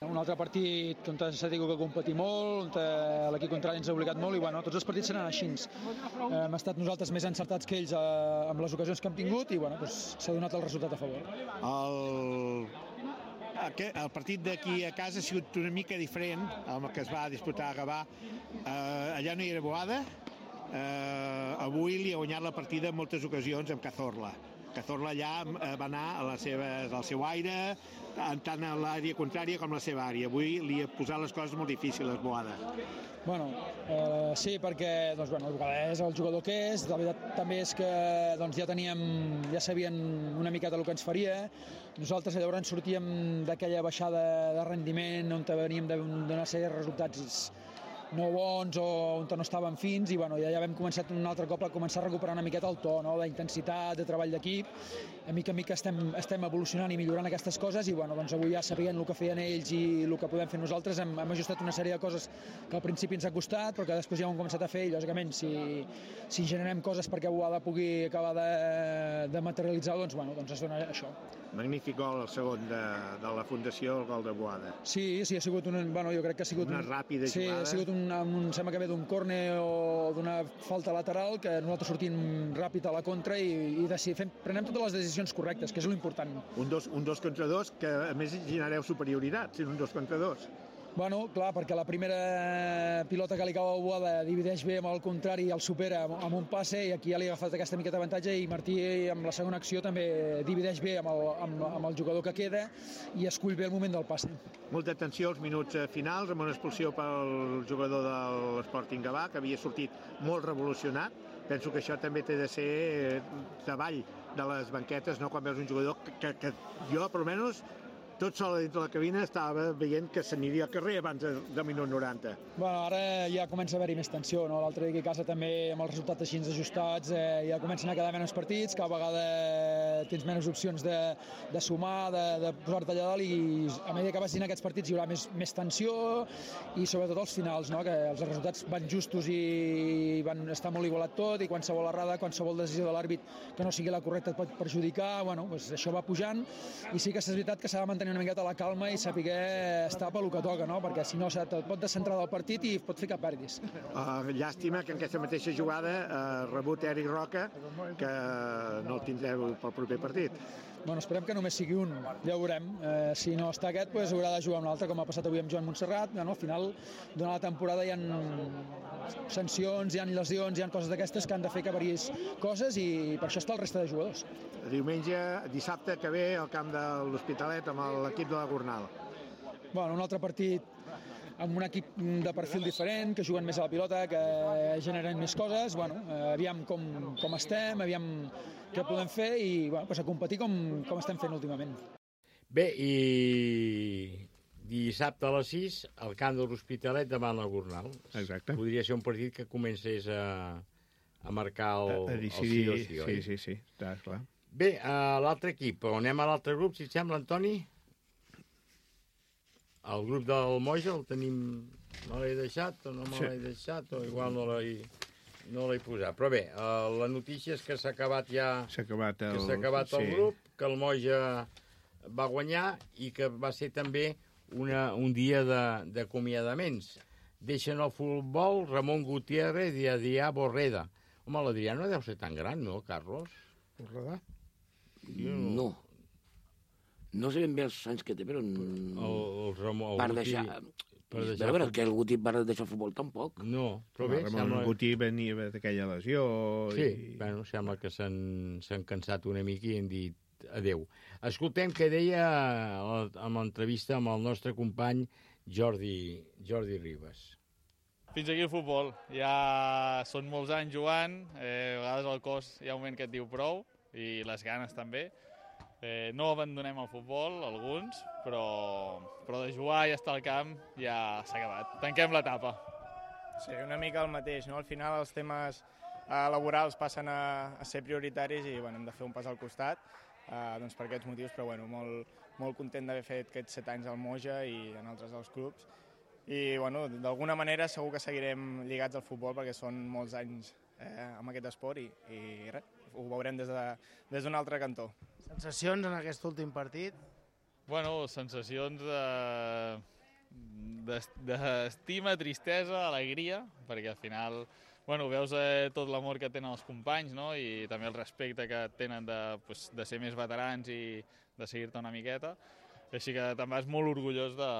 Un altre partit on s'ha tingut que competir molt, on l'equip contrari ens ha obligat molt i bueno, tots els partits seran així. Hem estat nosaltres més encertats que ells amb les ocasions que hem tingut i bueno, doncs, s'ha donat el resultat a favor. El... El partit d'aquí a casa ha sigut una mica diferent amb el que es va disputar a Gavà. Eh, allà no hi era Boada. Eh, avui li ha guanyat la partida en moltes ocasions amb Cazorla. Cazorla allà va anar a la seva, al seu aire, tant a l'àrea contrària com a la seva àrea. Avui li ha posat les coses molt difícils, Boada. Bueno, eh, sí, perquè doncs, bueno, és el jugador que és. La veritat també és que doncs, ja teníem, ja sabien una miqueta el que ens faria. Nosaltres llavors sortíem d'aquella baixada de rendiment on veníem d'una sèrie de resultats no bons o on no estàvem fins i bueno, ja, ja vam començar un altre cop a començar a recuperar una miqueta el to, no? D'intensitat, de treball d'equip. A mica a mica estem, estem evolucionant i millorant aquestes coses i bueno, doncs avui ja sabien el que feien ells i el que podem fer nosaltres. Hem, hem ajustat una sèrie de coses que al principi ens ha costat però que després ja ho hem començat a fer i lògicament si, si generem coses perquè Boada pugui acabar de, de materialitzar doncs, bueno, doncs es dona això. Magnífic gol el segon de, de la Fundació, el gol de Boada. Sí, sí, ha sigut un, bueno, jo crec que ha sigut una un, ràpida sí, jugada. Ha sigut un, un, sembla que ve d'un córner o d'una falta lateral que nosaltres sortim ràpid a la contra i, i decidim, fem, prenem totes les decisions correctes, que és l'important. Un dos, un dos contra dos, que a més genereu superioritat, si un dos contra dos. Bueno, clar, perquè la primera pilota que li cau a Boada divideix bé amb el contrari i el supera amb un passe i aquí ja li ha agafat aquesta miqueta d'avantatge i Martí amb la segona acció també divideix bé amb el, amb, amb el jugador que queda i escull bé el moment del passe. Molta atenció als minuts finals amb una expulsió pel jugador de l'Sporting Gavà que havia sortit molt revolucionat. Penso que això també té de ser davall de les banquetes, no? Quan veus un jugador que, que, que jo, per almenys, tot sol dintre de la cabina estava veient que s'aniria al carrer abans del minut noranta. Bueno, ara ja comença a haver-hi més tensió, no? L'altre dia a casa també, amb els resultats així ajustats, eh, ja comencen a quedar menys partits, cada vegada tens menys opcions de, de sumar, de, de posar-te allà dalt, i a mesura que vagin aquests partits hi haurà més, més tensió, i sobretot els finals, no? Que els resultats van justos i van estar molt igualat tot, i qualsevol errada, qualsevol decisió de l'àrbit que no sigui la correcta et pot perjudicar, bueno, doncs això va pujant, i sí que és veritat que s'ha de mantenir una miqueta la calma i saber estar pel que toca, no? Perquè si no et pot descentrar del partit i pot fer que perdis. Uh, llàstima que en aquesta mateixa jugada ha uh, rebut Eric Roca, que no el tindreu pel proper partit. Bueno, esperem que només sigui un, ja ho veurem. Eh, si no està aquest, pues, haurà de jugar un altre, com ha passat avui amb Joan Montserrat. No, al final, durant la temporada hi ha sancions, hi ha lesions, hi ha coses d'aquestes que han de fer que variïs coses i per això està el resta de jugadors. Diumenge, dissabte que ve al camp de l'Hospitalet amb l'equip de la Gornal. Bueno, un altre partit amb un equip de perfil diferent, que juguen més a la pilota, que generen més coses. Bueno, aviam com, com estem, aviam què podem fer i bueno, pues a competir com, com estem fent últimament. Bé, i dissabte a les sis, al camp de l'Hospitalet davant la Gornal. Exacte. Podria ser un partit que comencés a, a marcar el, a, a decidir, el sí o sí, oi? Sí, sí, sí, està clar. Bé, a l'altre equip, on anem a l'altre grup, si et sembla, Antoni? El grup del Moja el tenim... No l'he deixat o no me l'he deixat o igual no l'he no l'he posat. Però bé, uh, la notícia és que s'ha acabat ja... S'ha acabat el, que s'ha acabat el sí. grup, que el Moja va guanyar i que va ser també una, un dia d'acomiadaments. Deixen el futbol Ramon Gutiérrez i Adrià Borreda. Home, l'Adrià no deu ser tan gran, no, Carlos? Borreda? No. No sé ben bé els anys que té, però... El, el Ramon... Per deixar... Per deixar però, però que el Guti va deixar el futbol tampoc. No, però bé, Ramon sembla... Guti venia d'aquella lesió... Sí, i... bueno, sembla que s'han cansat una mica i han dit adeu. Escoltem què deia en l'entrevista amb el nostre company Jordi, Jordi Ribas. Fins aquí el futbol. Ja són molts anys jugant, eh, a vegades el cos hi ha un moment que et diu prou, i les ganes també. Eh, no abandonem el futbol, alguns, però, però de jugar i estar al camp ja s'ha acabat. Tanquem l'etapa. Sí, una mica el mateix, no? Al final els temes eh, laborals passen a, a ser prioritaris i bueno, hem de fer un pas al costat eh, doncs per aquests motius, però bueno, molt, molt content d'haver fet aquests set anys al Moja i en altres dels clubs. I bueno, d'alguna manera segur que seguirem lligats al futbol perquè són molts anys eh, amb aquest esport i, i res, ho veurem des de, des d'un altre cantó. Sensacions en aquest últim partit? Bueno, sensacions d'estima, tristesa, alegria, perquè al final bueno, veus eh, tot l'amor que tenen els companys, no? I també el respecte que tenen de, pues, de ser més veterans i de seguir-te una miqueta. Així que te'n vas molt orgullós de,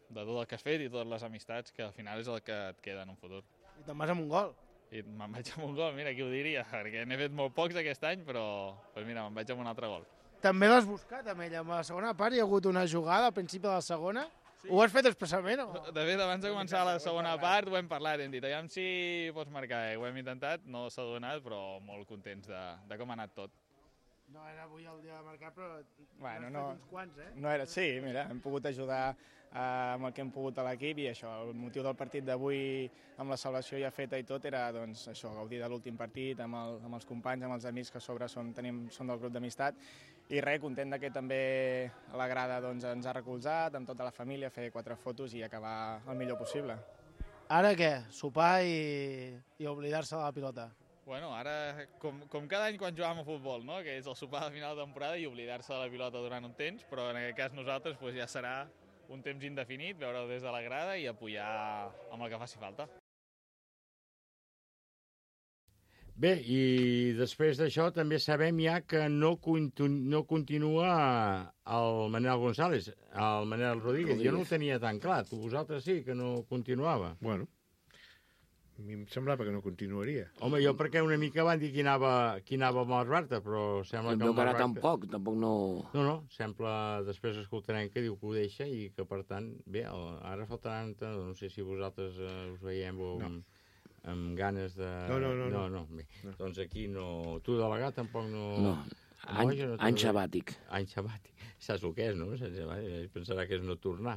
de tot el que has fet i totes les amistats, que al final és el que et queda en un futur. I te'n vas amb un gol. I me'n vaig amb un gol, mira, qui ho diria, perquè n'he fet molt pocs aquest any, però pues mira, me'n vaig amb un altre gol. També l'has buscat amb ell, amb la segona part hi ha hagut una jugada al principi de la segona. Sí. Ho has fet expressament o...? De fet, abans de començar la segona part ho hem parlat, hem dit, aviam si pots marcar, eh? Ho hem intentat, no s'ha donat, però molt contents de, de com ha anat tot. No era avui el dia de marcar, però bueno, no, no, uns quants, eh? No era, sí, mira, hem pogut ajudar eh, amb el que hem pogut a l'equip i això, el motiu del partit d'avui amb la celebració ja feta i tot era doncs, això, gaudir de l'últim partit amb, el, amb els companys, amb els amics que a sobre són, tenim, són del grup d'amistat i res, content que també la grada doncs, ens ha recolzat amb tota la família, fer quatre fotos i acabar el millor possible. Ara què? Sopar i, i oblidar-se de la pilota? Bueno, ara, com, com cada any quan jugàvem a futbol, no? Que és el sopar de final de temporada i oblidar-se de la pilota durant un temps, però en aquest cas nosaltres pues, ja serà un temps indefinit, veure-ho des de la grada i apoyar amb el que faci falta. Bé, i després d'això també sabem ja que no, continu, no continua el Manel González, el Manel Rodríguez. Rodríguez. Jo no ho tenia tan clar, tu vosaltres sí que no continuava. Bueno, a mi em semblava que no continuaria. Home, jo perquè una mica van dir que anava, que anava amb el Barta, però sembla que el Barta... tampoc, tampoc no... No, no, sembla, després escoltarem que diu que ho deixa i que, per tant, bé, ara faltaran, no sé si vosaltres eh, us veiem o... No. amb ganes de... No, no, no. no, no. Bé, no. Doncs aquí no... Tu, delegat, tampoc no... No, any, no any sabàtic. Any sabàtic. Saps el que és, no? Pensarà que és no tornar.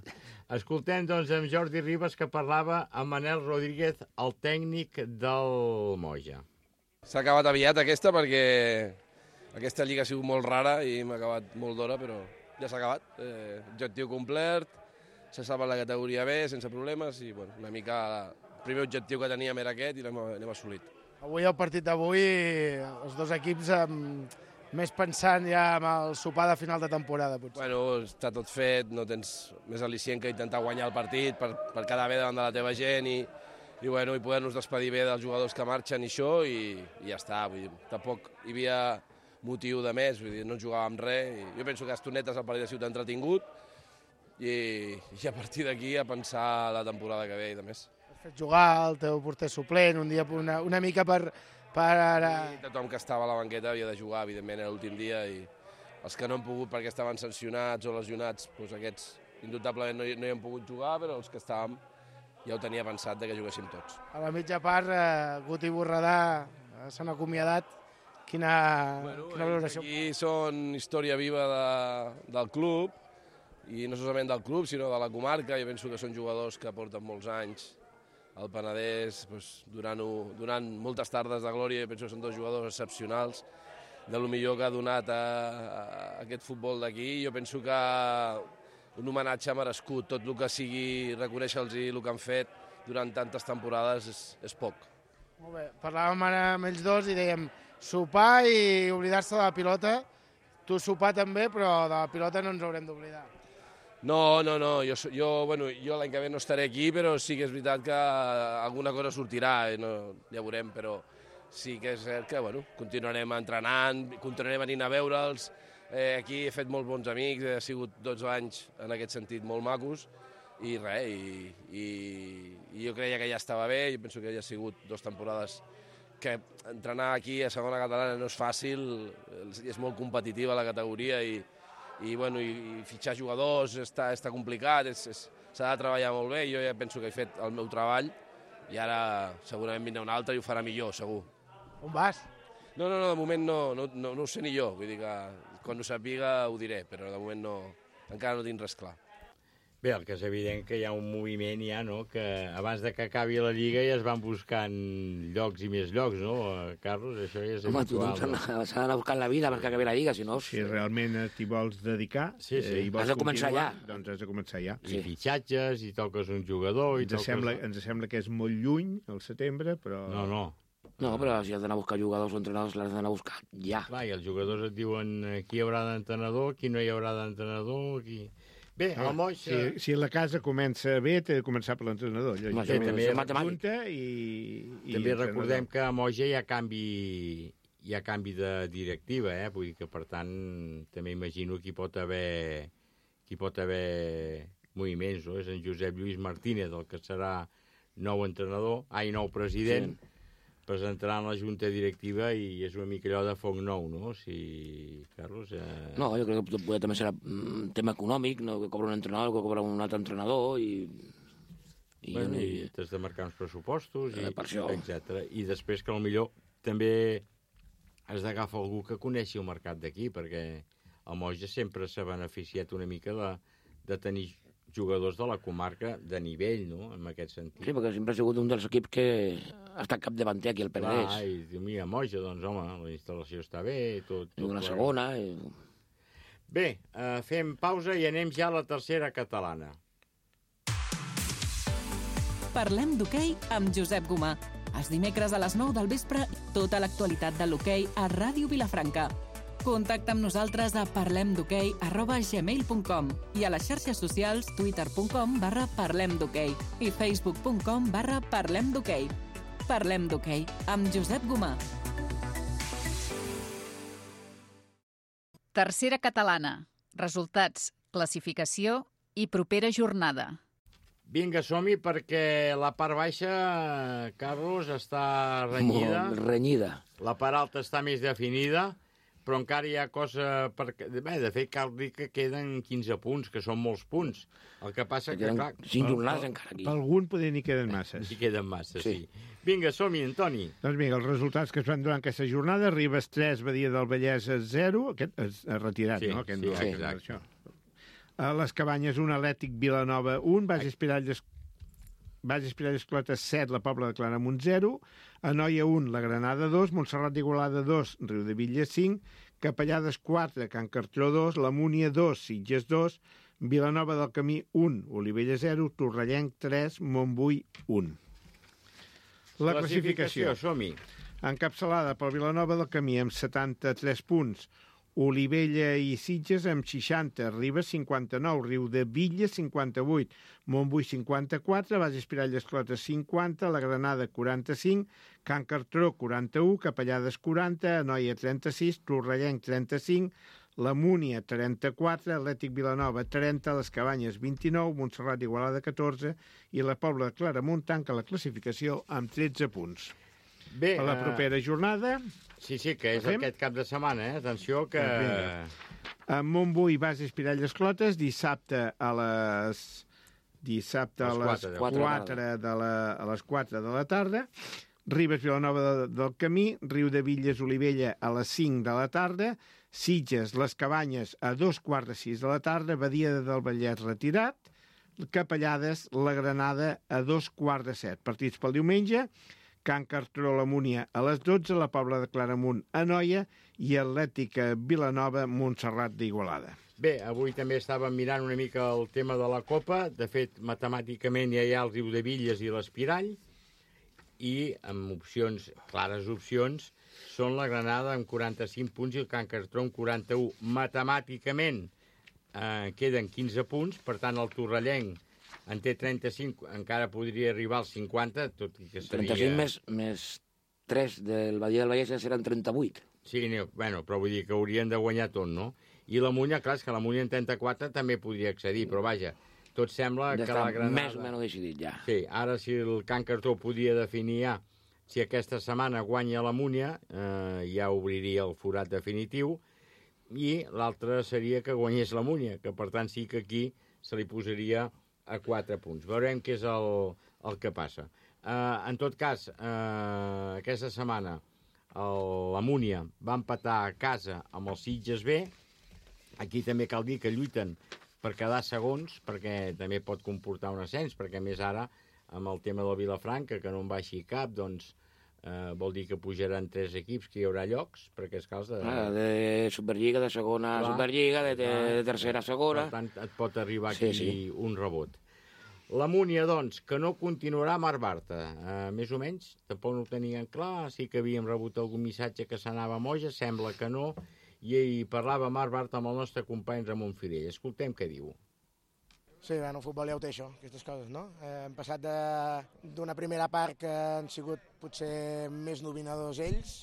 Escoltem, doncs, amb Jordi Ribas, que parlava amb Manel Rodríguez, el tècnic del Moja. S'ha acabat aviat aquesta, perquè aquesta lliga ha sigut molt rara i m'ha acabat molt d'hora, però ja s'ha acabat. Eh, objectiu complert, s'ha salvat la categoria B sense problemes i, bueno, una mica... El primer objectiu que teníem era aquest i l'hem assolit. Avui, el partit d'avui, els dos equips amb, més pensant ja en el sopar de final de temporada, potser. Bueno, està tot fet, no tens més al·licient que intentar guanyar el partit per, per quedar bé davant de la teva gent i, i, bueno, i poder-nos despedir bé dels jugadors que marxen i això i, i ja està. Vull dir, tampoc hi havia motiu de més, vull dir, no jugàvem res. I jo penso que a estonetes el partit ha sigut entretingut i, i a partir d'aquí a pensar la temporada que ve i de més. Fet jugar el teu porter suplent, un dia una, una mica per... per... I tothom que estava a la banqueta havia de jugar, evidentment, era l'últim dia, i els que no han pogut perquè estaven sancionats o lesionats, doncs aquests indubtablement no hi, no hi han pogut jugar, però els que estàvem ja ho tenia pensat de que juguéssim tots. A la mitja part, eh, Guti i Borredà eh, s'han acomiadat. Quina, bueno, quina valoració? Aquí són història viva de, del club, i no solament del club, sinó de la comarca. Jo penso que són jugadors que porten molts anys al Penedès, doncs, donant, donant moltes tardes de glòria. Penso que són dos jugadors excepcionals, de lo millor que ha donat a, a aquest futbol d'aquí. Jo penso que un homenatge merescut, tot el que sigui reconèixer-los el que han fet durant tantes temporades és, és poc. Molt bé. Parlàvem ara amb ells dos i dèiem sopar i oblidar-se de la pilota. Tu sopar també, però de la pilota no ens haurem d'oblidar. No, no, no, jo, jo, bueno, jo l'any que ve no estaré aquí, però sí que és veritat que alguna cosa sortirà, eh? No, ja veurem, però sí que és cert que bueno, continuarem entrenant, continuarem venint a veure'ls. Eh, aquí he fet molts bons amics, he sigut dotze anys en aquest sentit molt macos, i res, i, i, i jo creia que ja estava bé, jo penso que ja ha sigut dues temporades que entrenar aquí a segona catalana no és fàcil, és molt competitiva la categoria i i, bueno, i, i fitxar jugadors està, està complicat, s'ha de treballar molt bé, jo ja penso que he fet el meu treball i ara segurament vindrà un altre i ho farà millor, segur. On vas? No, no, no, de moment no, no, no, no ho sé ni jo, vull dir que quan ho sàpiga ho diré, però de moment no, encara no tinc res clar. Bé, el que és evident que hi ha un moviment ja, no?, que abans de que acabi la Lliga ja es van buscant llocs i més llocs, no, Carlos? Això ja és Home, habitual. Home, tu no? s'ha d'anar buscant la vida perquè acabi la Lliga, si no... Si realment t'hi vols dedicar sí, sí. Eh, i vols has de començar ja. Doncs has de començar ja. I sí. Fitxatges, i toques un jugador... I ens, toques... sembla, ens sembla que és molt lluny, al setembre, però... No, no. No, però si has d'anar a buscar jugadors o entrenadors, l'has d'anar a buscar ja. Clar, i els jugadors et diuen qui hi haurà d'entrenador, qui no hi haurà d'entrenador, qui... Bé, ah, el Moix... Si, si la casa comença bé, té de començar per l'entrenador. Bé, també, i, i també recordem que a Moja hi ha canvi, hi ha canvi de directiva, eh? Vull dir que, per tant, també imagino que hi pot haver, que hi pot haver moviments, no? És en Josep Lluís Martínez, el que serà nou entrenador, ai, nou president, sí. Presentarà en la junta directiva i és una mica allò de foc nou, no? Si, Carlos... Eh... No, jo crec que potser també serà un tema econòmic, no? Que cobra un entrenador, que cobra un altre entrenador i... I, bueno, i... i t'has de marcar uns pressupostos, eh, i, etcètera. I després que potser també has d'agafar algú que coneixi el mercat d'aquí, perquè el Moja sempre s'ha beneficiat una mica de, de tenir jugadors de la comarca de nivell, no?, en aquest sentit. Sí, perquè sempre ha sigut un dels equips que ha estat capdavanter aquí al Penedès. Clar, i diu, mira, Moja, doncs, home, la instal·lació està bé, tot... I una segona... I... Bé, eh, fem pausa i anem ja a la tercera catalana. Parlem d'hoquei amb Josep Gomà. Els dimecres a les nou del vespre, tota l'actualitat de l'hoquei a Ràdio Vilafranca. Contacta amb nosaltres a parlemdhoquei arroba gmail punt com i a les xarxes socials twitter punt com barra parlemdhoquei i facebook punt com barra parlemdhoquei. Parlem d'hoquei amb Josep Gomà. Tercera catalana. Resultats, classificació i propera jornada. Vinga, som-hi, perquè la part baixa, Carlos, està renyida. Molt renyida. La part alta està més definida. Però encara hi ha cosa... Per... Bé, de fet, cal dir que queden quinze punts, que són molts punts. El que passa que, clar... Cinc jornades encara aquí. Per algun poder n'hi queden masses. N'hi queden masses, sí. sí. Vinga, som-hi, Antoni. Doncs vinga, els resultats que es van donar en aquesta jornada, Ribes tres, Badia del Vallès zero, aquest és retirat, sí, no? Aquest sí, no, sí, exacte. A les Cabanyes un, Atlètic Vilanova un, Baix Espiralles... Baix Espiralles Clotes set, la Pobla de Claramunt zero, Anoia un, la Granada dos, Montserrat d'Igualada dos, Riudebitlles cinc, Capellades quatre, Can Cartró dos, la Múnia dos, Sitges dos, Vilanova del Camí un, Olivella zero, Torrellenc tres, Montbui un. La classificació. classificació som-hi. Encapçalada per Vilanova del Camí amb setanta-tres punts, Olivella i Sitges amb seixanta, Ribes cinquanta-nou, Riudebitlles cinquanta-vuit, Montbui cinquanta-quatre, Baix Espiralles Clotes cinquanta, la Granada quaranta-cinc, Can Cartró quaranta-u, Capellades quaranta, Anoia trenta-sis, Torrellenc trenta-cinc, la Múnia trenta-quatre, Atlètic Vilanova trenta, les Cabanyes vint-i-nou, Montserrat d'Igualada catorze i la Pobla de Claramunt tanca la classificació amb tretze punts. Bé, a la propera jornada... Sí, sí, que és aquest cap de setmana, eh? Atenció que... A Montbui, Baix Espiralles Clotes, dissabte a les... Dissabte a les quatre de la, a les quatre de la tarda. Ribes, Vilanova de, del Camí, Riudebitlles, Olivella a les cinc de la tarda. Sitges, les Cabanyes a dos quarts de sis de la tarda. Badia del Vallès retirat. Capellades, la Granada a dos quarts de set. Partits pel diumenge. Can Cartró, la Múnia a les dotze, la Pobla de Claramunt a Anoia i Atlètica Vilanova, Montserrat d'Igualada. Bé, avui també estàvem mirant una mica el tema de la Copa. De fet, matemàticament ja hi ha el Riudebitlles i l'Espirall. i amb opcions, clares opcions, són la Granada amb quaranta-cinc punts i el Can Cartró amb quaranta-un. Matemàticament eh, queden quinze punts, per tant el torrellenc en té trenta-cinc, encara podria arribar als cinquanta, tot i que seria... trenta-cinc més, més tres del Badia del Vallès seran trenta-vuit. Sí, no, bueno, però vull dir que haurien de guanyar tot, no? I la Munya, clar, és que la Munya en trenta-quatre també podria accedir, però vaja, tot sembla ja que la Granada... més o menys decidit, ja. Sí, ara si el Can Cartró podia definir ja si aquesta setmana guanya la Múnia, eh, ja obriria el forat definitiu, i l'altre seria que guanyés la Múnia, que per tant sí que aquí se li posaria a quatre punts. Veurem què és el, el que passa. Eh, en tot cas, eh, aquesta setmana el, la Múnia va empatar a casa amb el Sitges B. Aquí també cal dir que lluiten per quedar segons, perquè també pot comportar un ascens, perquè més ara, amb el tema del Vilafranca, que no en baixi cap, doncs eh, vol dir que pujaran tres equips, que hi haurà llocs, perquè és cas de... Ah, de Superliga, de segona a Superliga, de, de, de tercera a segona... Per tant, et pot arribar aquí sí, sí. un rebot. La Múnia, doncs, que no continuarà a Mar Barta, eh, més o menys, tampoc no ho tenien clar, sí que havíem rebut algun missatge que s'anava a Moja, sembla que no, i hi parlava Mar Barta amb el nostre company Ramon Firell. Escoltem què diu. Sí, bueno, el futbol ja ho té això, aquestes coses, no? Eh, hem passat d'una primera part que han sigut potser més dominadors ells,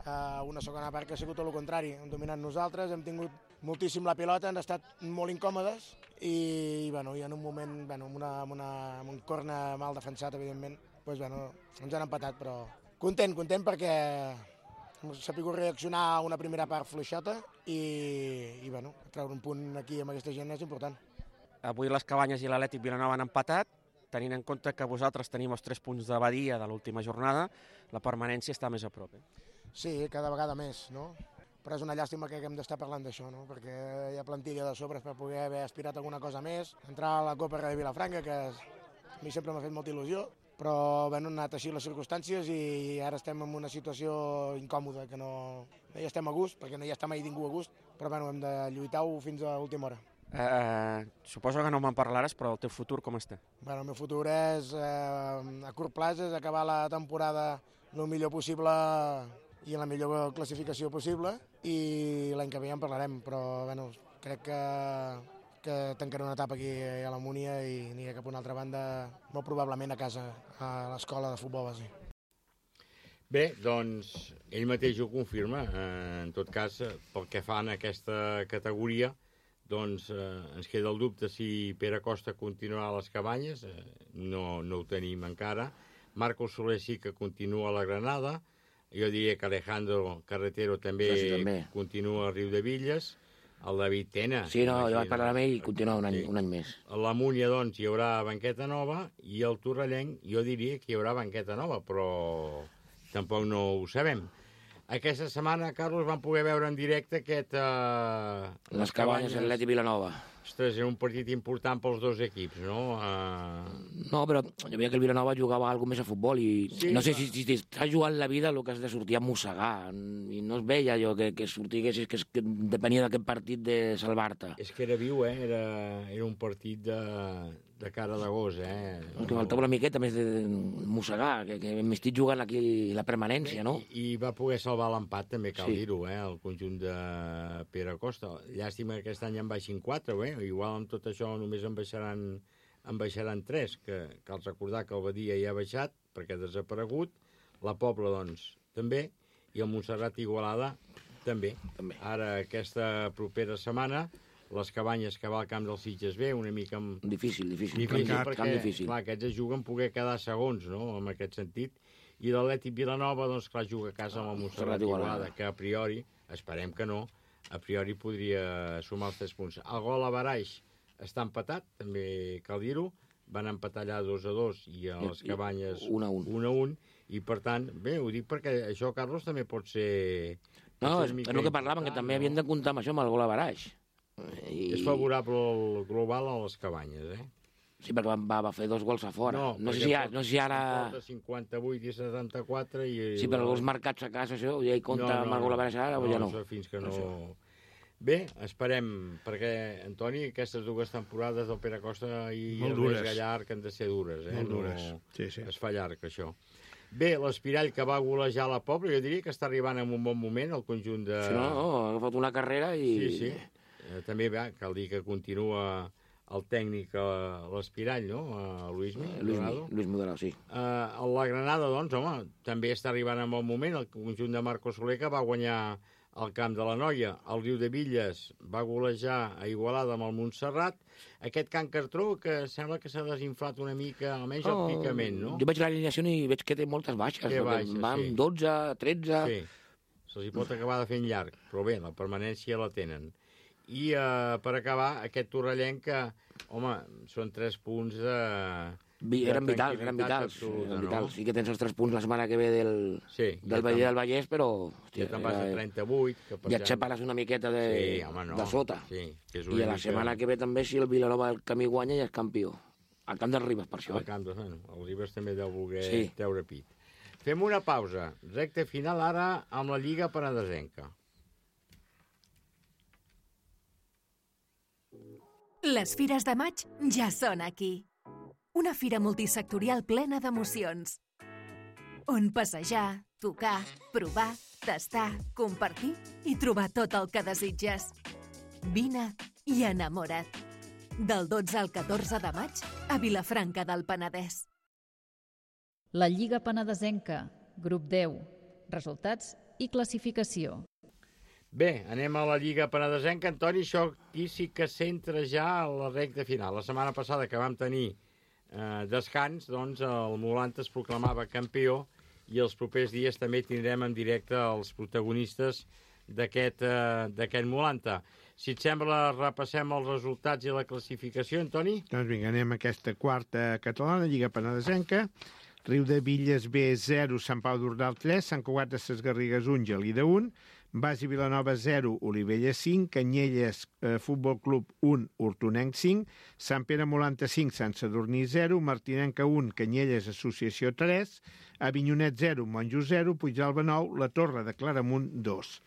a una segona part que ha sigut tot el contrari. Hem dominat nosaltres, hem tingut moltíssim la pilota, han estat molt incòmodes i, bueno, i en un moment, bueno, amb, una, amb, una, amb un corner mal defensat, evidentment, doncs, bueno, ens han empatat, però content, content perquè hem sabut reaccionar a una primera part fluixota i, i bueno, treure un punt aquí amb aquesta gent és important. Avui les Cabanyes i l'Atlètic Vilanova han empatat, tenint en compte que vosaltres tenim els tres punts de Badia de l'última jornada, la permanència està més a prop. Eh? Sí, cada vegada més, no? Però és una llàstima que haguem d'estar parlant d'això, no? Perquè hi ha plantilla de sobres per poder haver aspirat a alguna cosa més, entrar a la Copa de Vilafranca, que a mi sempre m'ha fet molta il·lusió, però bueno, han anat així les circumstàncies i ara estem en una situació incòmoda, que no, no hi estem a gust, perquè no hi està mai ningú a gust, però bueno, hem de lluitar-ho fins a l'última hora. Eh, suposo que no me'n parlaràs, però el teu futur com està? Bueno, el meu futur és, eh, a curt plaç, és acabar la temporada el millor possible i en la millor classificació possible, i l'any que ve ja en parlarem, però bueno, crec que, que tancaré una etapa aquí a la Múnia i aniré cap a una altra banda, molt probablement a casa, a l'escola de futbol base. Bé, doncs, ell mateix ho confirma. Eh, en tot cas, pel que fa en aquesta categoria, doncs eh, ens queda el dubte si Pere Costa continuarà a les Cabanyes, eh, no, no ho tenim encara. Marco Soler sí que continua a la Granada, jo diria que Alejandro Carretero també, sí, també. continua a Riu de Villes, el David Tena... Sí, no, jo vaig parlar amb ell i continua un any, sí. un any més. A la Múnia, doncs, hi haurà banqueta nova, i el Torrellenc, jo diria que hi haurà banqueta nova, però tampoc no ho sabem. Aquesta setmana, Carlos, vam poder veure en directe aquest... Uh, les, les Cabanyes, Atlètic Vilanova. Ostres, era un partit important pels dos equips, no? Uh... No, però jo veia que el Vilanova jugava alguna més a futbol i sí, no sé si, si t'estàs jugant la vida el que has de sortir a mossegar, i no es veia allò que, que sortiguessis, que, que depenia d'aquest partit de salvar-te. És que era viu, eh? Era, era un partit de, de cara de gos, eh? El que faltava una miqueta més de mossegar, que, que m'estic jugant aquí la permanència, no? I, i va poder salvar l'empat, també cal sí. dir-ho, eh? El conjunt de Pere Costa. Llàstima que aquest any en baixin quatre, eh? Igual amb tot això només en baixaran, en baixaran tres, que cal recordar que el Badia ja ha baixat, perquè ha desaparegut, la Pobla, doncs, també, i el Montserrat Igualada, també. també. Ara, aquesta propera setmana, les Cabanyes que va al camp del Sitges B, una mica... Amb... Difícil, difícil. Difícil, camp, perquè, camp difícil. clar, aquests es juguen poder quedar segons, no?, en aquest sentit. I l'Atlètic Vilanova, doncs, clar, juga a casa amb el Montserrat Igualada, que a priori, esperem que no, a priori podria sumar els tres punts. El gol a Baraix està empatat, també cal dir-ho, van empatar allà dos a dos i a les Cabanyes un a un. un a un, i per tant, bé, ho dic perquè això, Carlos, també pot ser... No, és, és el que parlaven, que també no? havien de comptar amb això, amb el gol a Baraix. I... És favorable el global a les Cabanyes, eh? Sí, perquè va, va fer dos gols a fora. No, no, sé, si ara, no sé si ara... cinquanta-vuit i setanta-quatre i... Sí, però els marcats a casa, això, ja hi compta no, no, amb el gol a Baraix ara o ja no? No, fins que no... Això. Bé, esperem, perquè, Antoni, aquestes dues temporades del Pere Costa i el Lluís Gallard que han de ser dures, eh? Molt dures, no, sí, sí. Es fa llarg, això. Bé, l'Espirall que va golejar la Pobla, jo diria que està arribant en un bon moment el conjunt de... Sí, no, no, ha agafat una carrera i... Sí, sí. Eh, també va, cal dir que continua el tècnic a l'Espirall, no? A Luismi, Luis, Dorado. Luis Moderado, sí. Uh, la Granada, doncs, home, també està arribant en bon moment. El conjunt de Marcos Soler, que va guanyar el camp de la Noia. El Riu de Villes va golejar a Igualada amb el Montserrat. Aquest Can Cartró, que sembla que s'ha desinflat una mica, almenys el picament, no? Jo veig l'alineació i veig que té moltes baixes. Té baixes, va amb sí. dotze, tretze... Sí, se'ls hi pot acabar de fent llarg, però bé, la permanència la tenen. I uh, per acabar, aquest torrellenc que, home, són tres punts de... Vi, eren vitals, eren vitals, absoluta, eren no? vitals. Sí que tens els tres punts la setmana que ve del, sí, del ja Vallès del Vallès, però... Hòstia, ja te'n vas a trenta-vuit. Que ja et separes una miqueta de, sí, home, no. de sota. Sí, que és I a la setmana que ve també, si el Vilanova del Camí guanya, ja és campió. Al camp del Ribes, per això. Al camp del Ribes, el Ribes també deu voler sí. treure pit. Fem una pausa. Recte final ara amb la Lliga Penedesenca. Les fires de maig ja són aquí. Una fira multisectorial plena d'emocions. On passejar, tocar, provar, tastar, compartir i trobar tot el que desitges. Vine i enamora't. Del dotze al catorze de maig a Vilafranca del Penedès. La Lliga Penedesenca, grup deu. Resultats i classificació. Bé, anem a la Lliga Penedesenca. Antoni, això aquí sí que s'entra ja a la recta final. La setmana passada que vam tenir eh, descans, doncs el Molanta es proclamava campió i els propers dies també tindrem en directe els protagonistes d'aquest eh, d'aquest Molanta. Si et sembla, repassem els resultats i la classificació, Antoni? Doncs vinga, anem a aquesta quarta catalana, Lliga Penedesenca. Riu de Villes B, zero, Sant Pau d'Ordal, tres, Sant Cugat de Ses Garrigues, un, Gelida, un, Basi Vilanova, zero, Olivella, cinc, Canyelles, eh, Futbol Club, un, Hortonenc, cinc, Sant Pere Molanta, cinc, Sant Sadurní, zero, Martinenca, un, Canyelles, Associació, tres, Avinyonet, zero, Monjo, zero, Puigdàlber, nou, La Torre de Claramunt, dos.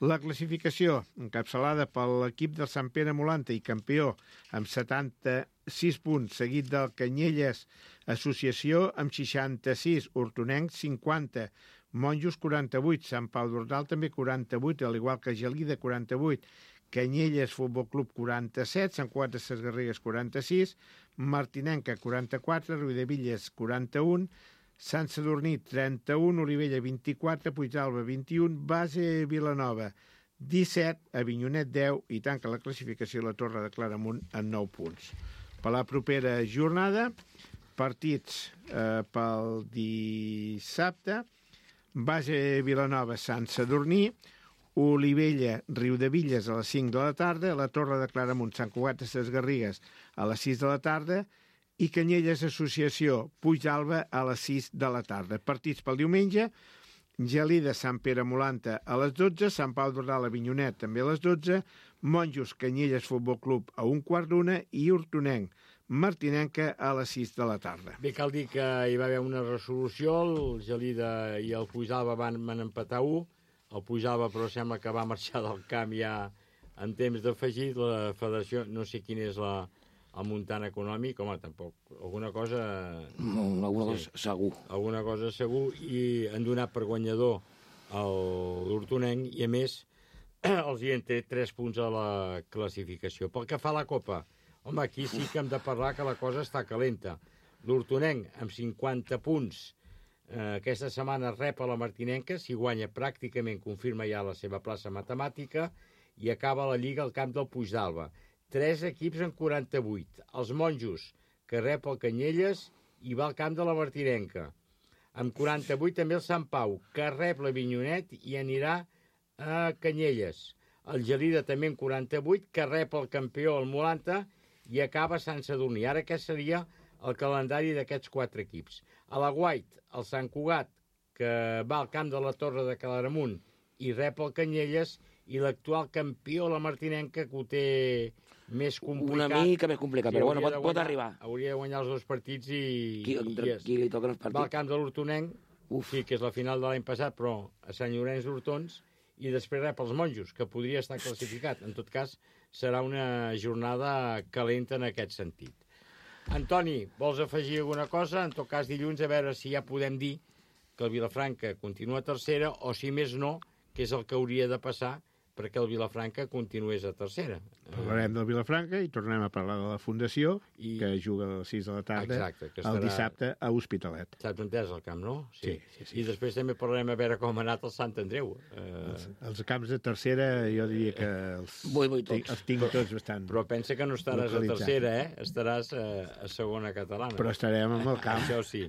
La classificació, encapçalada per l'equip del Sant Pere Molanta i campió amb setanta-sis punts, seguit del Canyelles Associació amb seixanta-sis, Hortonenc cinquanta, Monjos quaranta-vuit, Sant Pau d'Ordal també quaranta-vuit, al igual que Gelida quaranta-vuit, Canyelles Futbol Club quaranta-set, Sant Cugat de Ses Garrigues quaranta-sis, Martinenca quaranta-quatre, Riudevilles quaranta-un, Sant Sadurní trenta-un, Olivella vint-i-quatre, Puigdàlber vint-i-un, Base Vilanova disset, Avinyonet deu i tanca la classificació la Torre de Claramunt en nou punts. Per la propera jornada, partits eh, pel dissabte, Base Vilanova, Sant Sadurní, Olivella, Riudevilles a les cinc de la tarda, la Torre de Claramunt, Sant Cugat de Ses Garrigues a les sis de la tarda i Canyelles Associació, Puigdàlber a les sis de la tarda. Partits pel diumenge, Gelida, Sant Pere Molanta a les dotze, Sant Pau d'Ordal, Avinyonet també a les dotze, Monjos, Canyelles Futbol Club a un quart d'una i Hortonenc, Martinenca a les sis de la tarda. Bé, cal dir que hi va haver una resolució, el Gelida i el Puigdàlber van, van empatar un, el Puigdàlber però sembla que va marxar del camp ja en temps d'afegit, la federació, no sé quin és la, el muntant econòmic, home, tampoc, alguna cosa... No, alguna cosa sí, segur. Alguna cosa segur, i han donat per guanyador l'Hortonenc, i a més els hi han tret tres punts a la classificació. Pel que fa a la Copa, home, aquí sí que hem de parlar que la cosa està calenta. L'Hortonenc, amb cinquanta punts, eh, aquesta setmana rep a la Martinenca, si guanya pràcticament confirma ja la seva plaça matemàtica, i acaba la Lliga al camp del Puigdàlber. Tres equips en quaranta-vuit. Els Monjos, que rep el Canyelles, i va al camp de la Martinenca. Amb quaranta-vuit també el Sant Pau, que rep l'Avinyonet i anirà a Canyelles. El Gelida també en quaranta-vuit, que rep el campió, el Molanta, i acaba Sant Sadurní. Ara aquest seria el calendari d'aquests quatre equips. A la Guait, el Sant Cugat, que va al camp de la Torre de Claramunt i rep el Canyelles, i l'actual campió, la Martinenca, que ho té més complicat. Una mica més complicat, sí, però bueno, pot, guanyar, pot arribar. Hauria de guanyar els dos partits i... Qui, i qui li toquen els partits? Va al camp de l'Hortonenc, sí, que és la final de l'any passat, però a Sant Llorenç d'Hortons, i després rep els Monjos, que podria estar classificat. En tot cas, serà una jornada calenta en aquest sentit. Antoni, vols afegir alguna cosa? En tot cas, dilluns, a veure si ja podem dir que el Vilafranca continua a tercera, o si més no, que és el que hauria de passar perquè el Vilafranca continués a tercera. Parlarem del Vilafranca i tornem a parlar de la Fundació, I... que juga a les sis de la tarda, Exacte, que estarà... el dissabte a Hospitalet. Saps on és el camp, no? Sí. Sí, sí, sí. I després també parlarem a veure com ha anat el Sant Andreu. Uh... Els, els camps de tercera, jo diria que els, vull, vull tots. els tinc tots bastant. Però pensa que no estaràs a tercera, eh? Estaràs a, a segona catalana. Però estarem amb el camp. Això sí.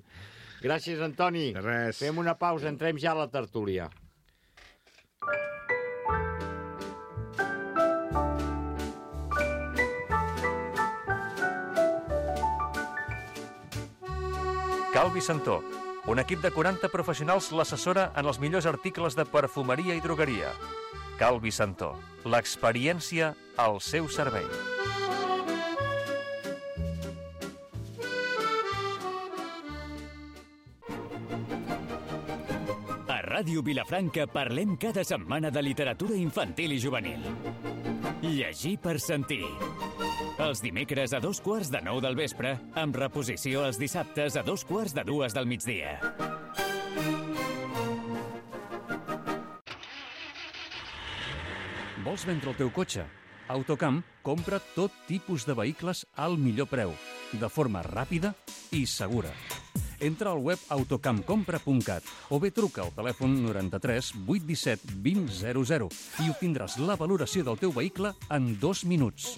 Gràcies, Antoni. De res. Fem una pausa, entrem ja a la tertúlia. Calvi Santó, un equip de quaranta professionals l'assessora en els millors articles de perfumeria i drogueria. Calvi Santó, l'experiència al seu servei. A Ràdio Vilafranca parlem cada setmana de literatura infantil i juvenil. Llegir per sentir. Els dimecres a dos quarts de nou del vespre, amb reposició els dissabtes a dos quarts de dues del migdia. Vols vendre el teu cotxe? Autocamp compra tot tipus de vehicles al millor preu, de forma ràpida i segura. Entra al web autocampcompra punt cat o bé truca al telèfon noranta-tres vuit disset vint zero zero i obtindràs la valoració del teu vehicle en dos minuts.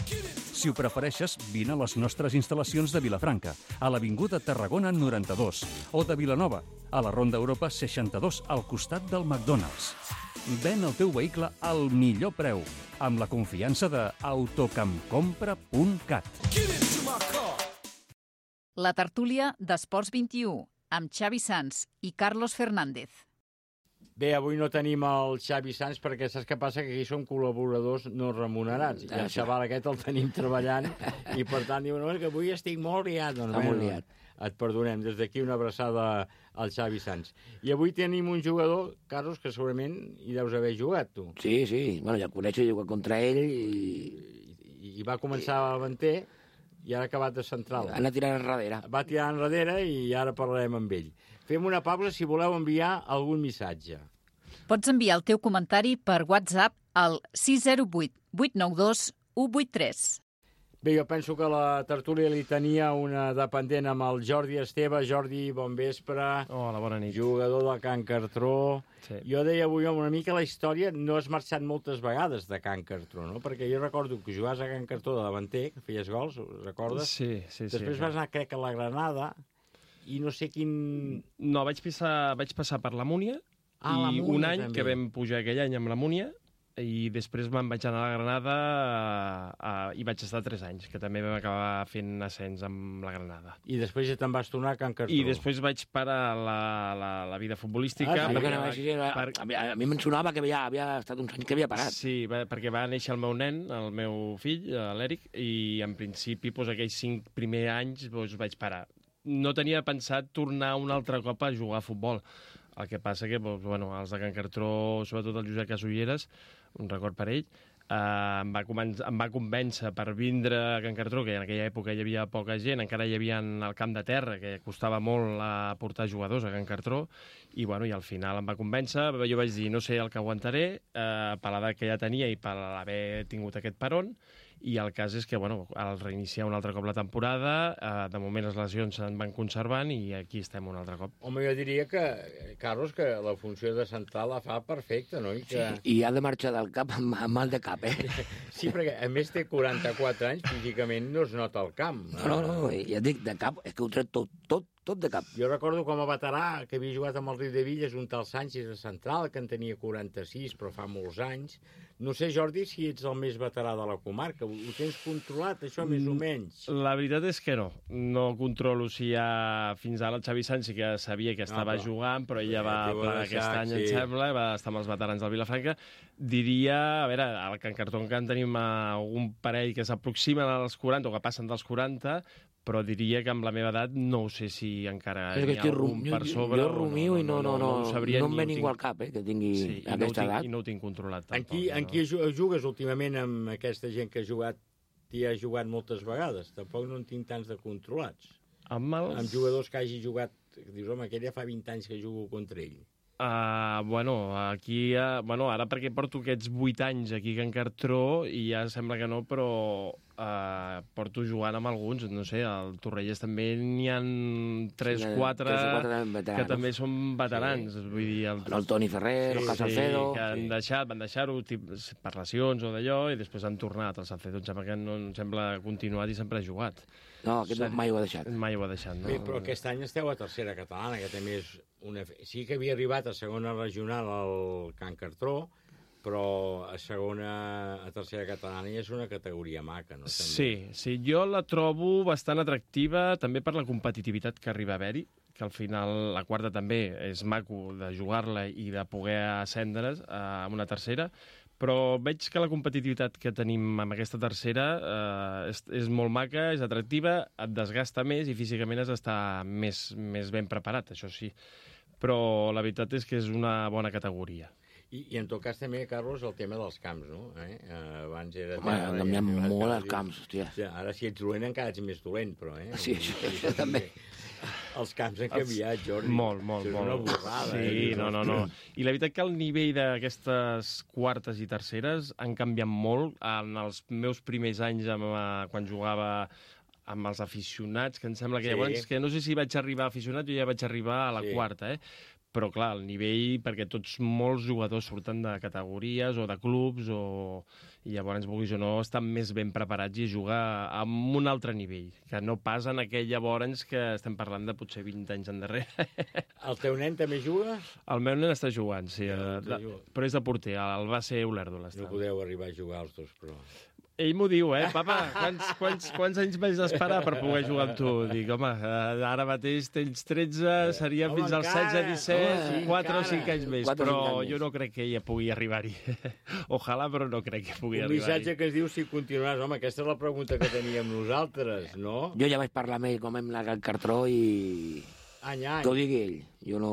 Si ho prefereixes, vine a les nostres instal·lacions de Vilafranca, a l'Avinguda Tarragona noranta-dos, o de Vilanova, a la Ronda Europa seixanta-dos, al costat del McDonald's. Ven el teu vehicle al millor preu, amb la confiança de autocampcompra punt cat. La tertúlia d'Esports vint-i-u, amb Xavi Sans i Carlos Fernández. Bé, avui no tenim el Xavi Sans perquè saps què passa? Que aquí som col·laboradors no remunerats. I el xaval aquest el tenim treballant i per tant diu, no, és que avui estic molt liat. Doncs, Està molt liat. Et perdonem. Des d'aquí una abraçada al Xavi Sans. I avui tenim un jugador, Carlos, que segurament hi deus haver jugat, tu. Sí, sí. Bueno, ja el coneixo, he jugat contra ell i... I, i va començar a davanter i ara ha acabat de central. Ha anat tirant enrere. Va tirar enrere i ara parlarem amb ell. Fem una pausa si voleu enviar algun missatge. Pots enviar el teu comentari per WhatsApp al sis zero vuit vuit nou dos u vuit tres. Bé, jo penso que la tertúlia li tenia una dependent amb el Jordi Esteve. Jordi, bon vespre. Hola, bona nit. Jugador del Can Cartró. Sí. Jo deia avui una mica la història, no has marxat moltes vegades de Can Cartró, no? Perquè jo recordo que jugaves a Can Cartró de davanter, que feies gols, recordes? Sí, sí, sí. Després vas anar, crec, a la Granada, i no sé quin... No, vaig passar, vaig passar per la Múnia, ah, la i Múnia, un any també. que vam pujar aquell any amb la Múnia, i després me'n vaig anar a la Granada a, a, i vaig estar tres anys, que també vam acabar fent ascens amb la Granada. I després ja te'n vas tornar a Can Cartró. I després vaig parar la, la, la vida futbolística. Ah, sí, perquè, sí, sí, per... A mi, a mi me'n sonava que havia, havia estat uns anys que havia parat. Sí, va, perquè va néixer el meu nen, el meu fill, l'Eric, i en principi doncs, aquells cinc primers anys doncs, vaig parar. No tenia pensat tornar un altre cop a jugar a futbol. El que passa que doncs, bueno, els de Can Cartró, sobretot el Josep Casulleres, un record per ell, eh, em, va em va convèncer per vindre a Can Cartró, que en aquella època hi havia poca gent, encara hi havia el camp de terra, que costava molt a portar jugadors a Can Cartró, i, bueno, i al final em va convèncer. Jo vaig dir, no sé el que aguantaré, eh, per l'edat que ja tenia i per haver tingut aquest peron, i el cas és que, bueno, al reiniciar un altre cop la temporada, eh, de moment les lesions se'n van conservant i aquí estem un altre cop. Home, jo diria que, Carlos, que la funció de central la fa perfecta, no? I, que... sí, i ha de marxar del cap amb, amb mal de cap, eh? Sí, perquè a més té quaranta-quatre anys, físicament no es nota el camp. No, no, no, ja et dic, de cap, és que ho tret tot, tot, tot de cap. Jo recordo com a veterà que havia jugat amb el Riudevilles un tal Sánchez de central, que en tenia quaranta-sis, però fa molts anys. No sé, Jordi, si ets el més veterà de la comarca. Ho tens controlat, això, més o menys? La veritat és que no. No controlo si ja fins ara el Xavi Sánchez, que ja sabia que estava no, però... jugant, però ella va plegar aquest any, sí. em sembla, va estar amb els veterans del Vilafranca. Diria, a veure, al Can Cartró encara en tenim algun parell que s'aproximen als quaranta o que passen dels quaranta, però diria que amb la meva edat no ho sé si encara és hi ha algun rum, per sobre. Jo rumio i no, no, no, no, no, no em ve ningú tinc... al cap, eh, que tingui sí, aquesta no tinc, edat. I no ho tinc controlat tampoc. En qui, en qui jugues últimament amb aquesta gent que ha jugat, t'hi ha jugat moltes vegades? Tampoc no en tinc tants de controlats. Amb, els... amb jugadors que hagi jugat dius, home, aquell ja fa vint anys que jugo contra ell. Uh, bueno, aquí, uh, bueno, ara perquè porto aquests vuit anys aquí a Can Cartró i ja sembla que no, però uh, porto jugant amb alguns, no sé, al Torrelles també n'hi ha tres o quatre que també són veterans. Sí. Vull dir, el, el Toni Ferrer, sí, el Salcedo... Sí, que han deixat, van deixar-ho per lesions o d'allò i després han tornat. El Salcedo em sembla que no em sembla continuat i sempre ha jugat. No, aquest sí. mai ho ha deixat. Mai ho ha deixat, no? Bé, però aquest any esteu a tercera catalana, que també és una... Sí que havia arribat a segona regional al Can Cartró, però a segona, a tercera catalana ja és una categoria maca, no? També. Sí, sí, jo la trobo bastant atractiva també per la competitivitat que arriba a haver-hi, que al final la quarta també és maco de jugar-la i de poder ascendre's a una tercera, però veig que la competitivitat que tenim amb aquesta tercera eh, és, és molt maca, és atractiva, et desgasta més i físicament has d'estar més, més ben preparat, això sí. Però la veritat és que és una bona categoria. I, I en tot cas també, Carlos, el tema dels camps, no? Eh? Abans era... Home, han canviat molt els camps, hòstia. Ja, ara si ets dolent encara ets més dolent, però... Eh? Sí, això, això també. Els camps han canviat, Jordi. Molt, molt, és molt. una borrada. Sí, eh? no, no, no. I la veritat que el nivell d'aquestes quartes i terceres han canviat molt. En els meus primers anys, amb, quan jugava amb els aficionats, que em sembla que Sí. llavors, que no sé si vaig arribar aficionat, jo ja vaig arribar a la Sí. quarta, eh? Però, clar, el nivell, perquè tots molts jugadors surten de categories o de clubs, o... i llavors, vulguis o no, estan més ben preparats i jugar amb un altre nivell, que no pas en aquell llavors que estem parlant de potser vint anys endarrere. El teu nen també juga? El meu nen està jugant, sí, Ja, de, de, però és de porter, el va ser Olèrdola. No podeu arribar a jugar els dos, però... Ell m'ho diu, eh? Papa, quants, quants, quants anys vaig d'esperar per poder jugar amb tu? Dic, home, ara mateix tens tretze, seria home, fins als encara, setze, disset, home, quatre o encara. cinc anys més, quatre o però cinc anys jo no crec que ella pugui arribar-hi. Ojalà, però no crec que pugui Un arribar-hi. missatge que es diu si continuaràs. Home, aquesta és la pregunta que teníem nosaltres, no? Jo ja vaig parlar amb ell com hem anat al Cartró i... Any, any. Que ho digui ell. Jo no...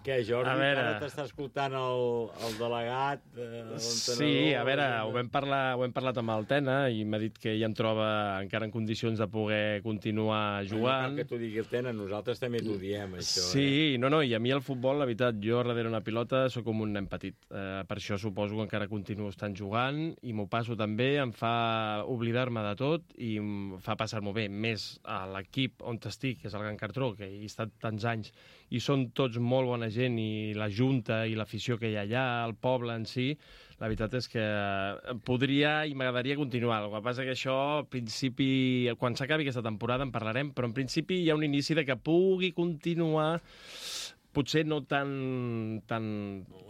Què, Jordi, A veure. ara t'està escoltant el, el delegat, eh, l'entrenador... Sí, a veure, ho vam, parlar, ho hem parlat amb el Tena i m'ha dit que ell em troba encara en condicions de poder continuar jugant. No cal que t'ho digui el Tena, nosaltres també t'ho diem, això. Sí, eh? no, no, i a mi el futbol, la veritat, jo darrere una pilota sóc com un nen petit. Eh, per això suposo que encara continuo estant jugant i m'ho passo també, em fa oblidar-me de tot i em fa passar-m'ho bé. Més a l'equip on estic, que és el Can Cartró, que hi he estat tants anys, i són tots molt bona gent, i la junta i l'afició que hi ha allà, el poble en si, la veritat és que podria i m'agradaria continuar. El que passa que això, al principi, quan s'acabi aquesta temporada en parlarem, però en principi hi ha un inici de que pugui continuar, potser no tan, tan,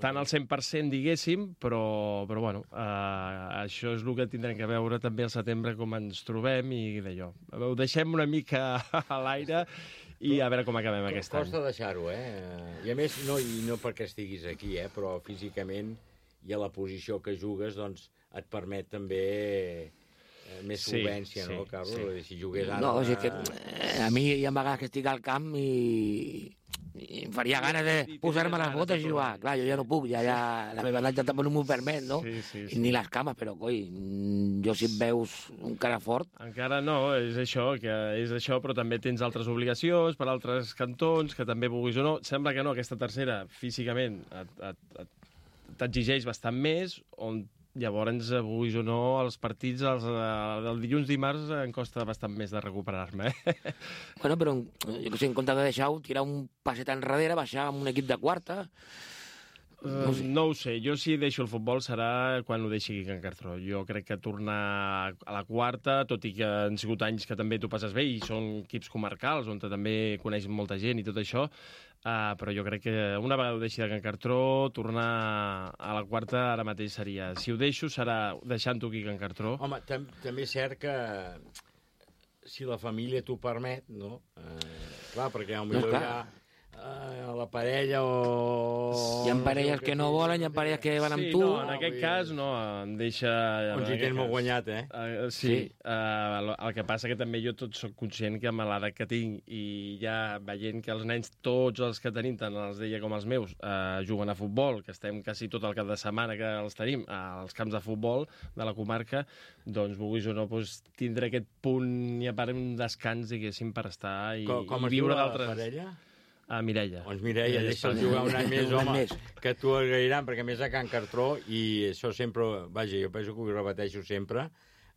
tan al cent per cent, diguéssim, però, però bueno, eh, això és el que tindrem que veure també al setembre, com ens trobem i d'allò. Ho deixem una mica a l'aire i a veure com acabem aquest any. Costa deixar-ho, eh? I a més, no, i no perquè estiguis aquí, eh? Però físicament i a la posició que jugues, doncs, et permet també eh, més Sí, solvència, sí, no, Carlos? sí. Si jugués ara... No, o sigui que eh, a mi hi ha vegades que estic al camp i, i em faria gana de posar-me les botes i jugar. Clar, jo ja no puc, ja, ja la meva edat ja tampoc no m'ho permet, no? Sí, sí, I ni les cames, però, coi, jo si em veus un cara fort... Encara no, és això, que és això, però també tens altres obligacions per altres cantons, que també vulguis o no. Sembla que no, aquesta tercera, físicament, et, et, et, t'exigeix bastant més, on llavors, vulguis o no, els partits, els, el dilluns, dimarts, em costa bastant més de recuperar-me. Eh? Bueno, però jo que sé, en compte de deixar-ho, tirar un passet enrere, baixar amb un equip de quarta... No, no ho sé, jo si deixo el futbol serà quan ho deixi aquí a Can Cartró. Jo crec que tornar a la quarta, tot i que han sigut anys que també t'ho passes bé i són equips comarcals on també coneix molta gent i tot això, uh, però jo crec que una vegada ho deixi de Can Cartró, tornar a la quarta ara mateix seria... Si ho deixo serà deixant-ho aquí a Can Cartró. Home, tam també és cert que si la família t'ho permet, no? Eh, clar, perquè potser No, hi ha eh, la parella o... Hi ha parelles que no volen, hi ha parelles que van amb Sí, tu... no, en aquest cas no, em deixa... On hi tens molt guanyat, eh? Uh, sí, sí. Uh, el, el que passa que també jo tot sóc conscient que amb l'edat que tinc i ja veient que els nens, tots els que tenim, tant els d'ella com els meus, uh, juguen a futbol, que estem quasi tot el cap de setmana que els tenim als camps de futbol de la comarca, doncs vulguis o no, doncs, tindré aquest punt i a part un descans, diguéssim, per estar i, com com i es diu viure la d'altres... parella? A Mireia. Doncs Mireia, deixa'l jugar un any més, home, que t'ho agrairan, perquè a més a Can Cartró, i això sempre, vaja, jo penso que ho repeteixo sempre,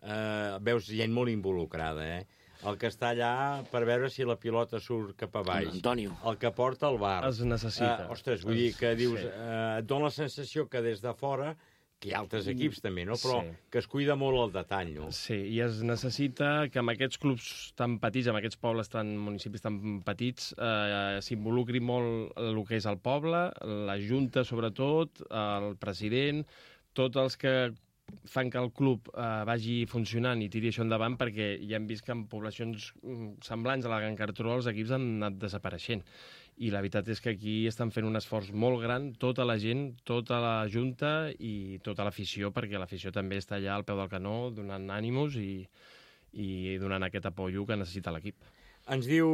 eh, veus gent molt involucrada, eh? El que està allà per veure si la pilota surt cap a baix. Antonio. El que porta el bar. Es necessita. Eh, ostres, vull dir que dius, eh, et dona la sensació que des de fora, que hi ha altres equips també, no? Però sí. que es cuida molt el detall, no? Sí, i es necessita que amb aquests clubs tan petits, amb aquests pobles tan, municipis tan petits, eh, s'involucri molt el que és el poble, la Junta sobretot, el president, tots els que fan que el club eh, vagi funcionant i tiri això endavant, perquè ja hem vist que en poblacions semblants a la Can Cartró els equips han anat desapareixent. I la veritat és que aquí estan fent un esforç molt gran, tota la gent, tota la Junta i tota l'afició, perquè l'afició també està allà al peu del canó, donant ànimos i, i donant aquest apoyo que necessita l'equip. Ens diu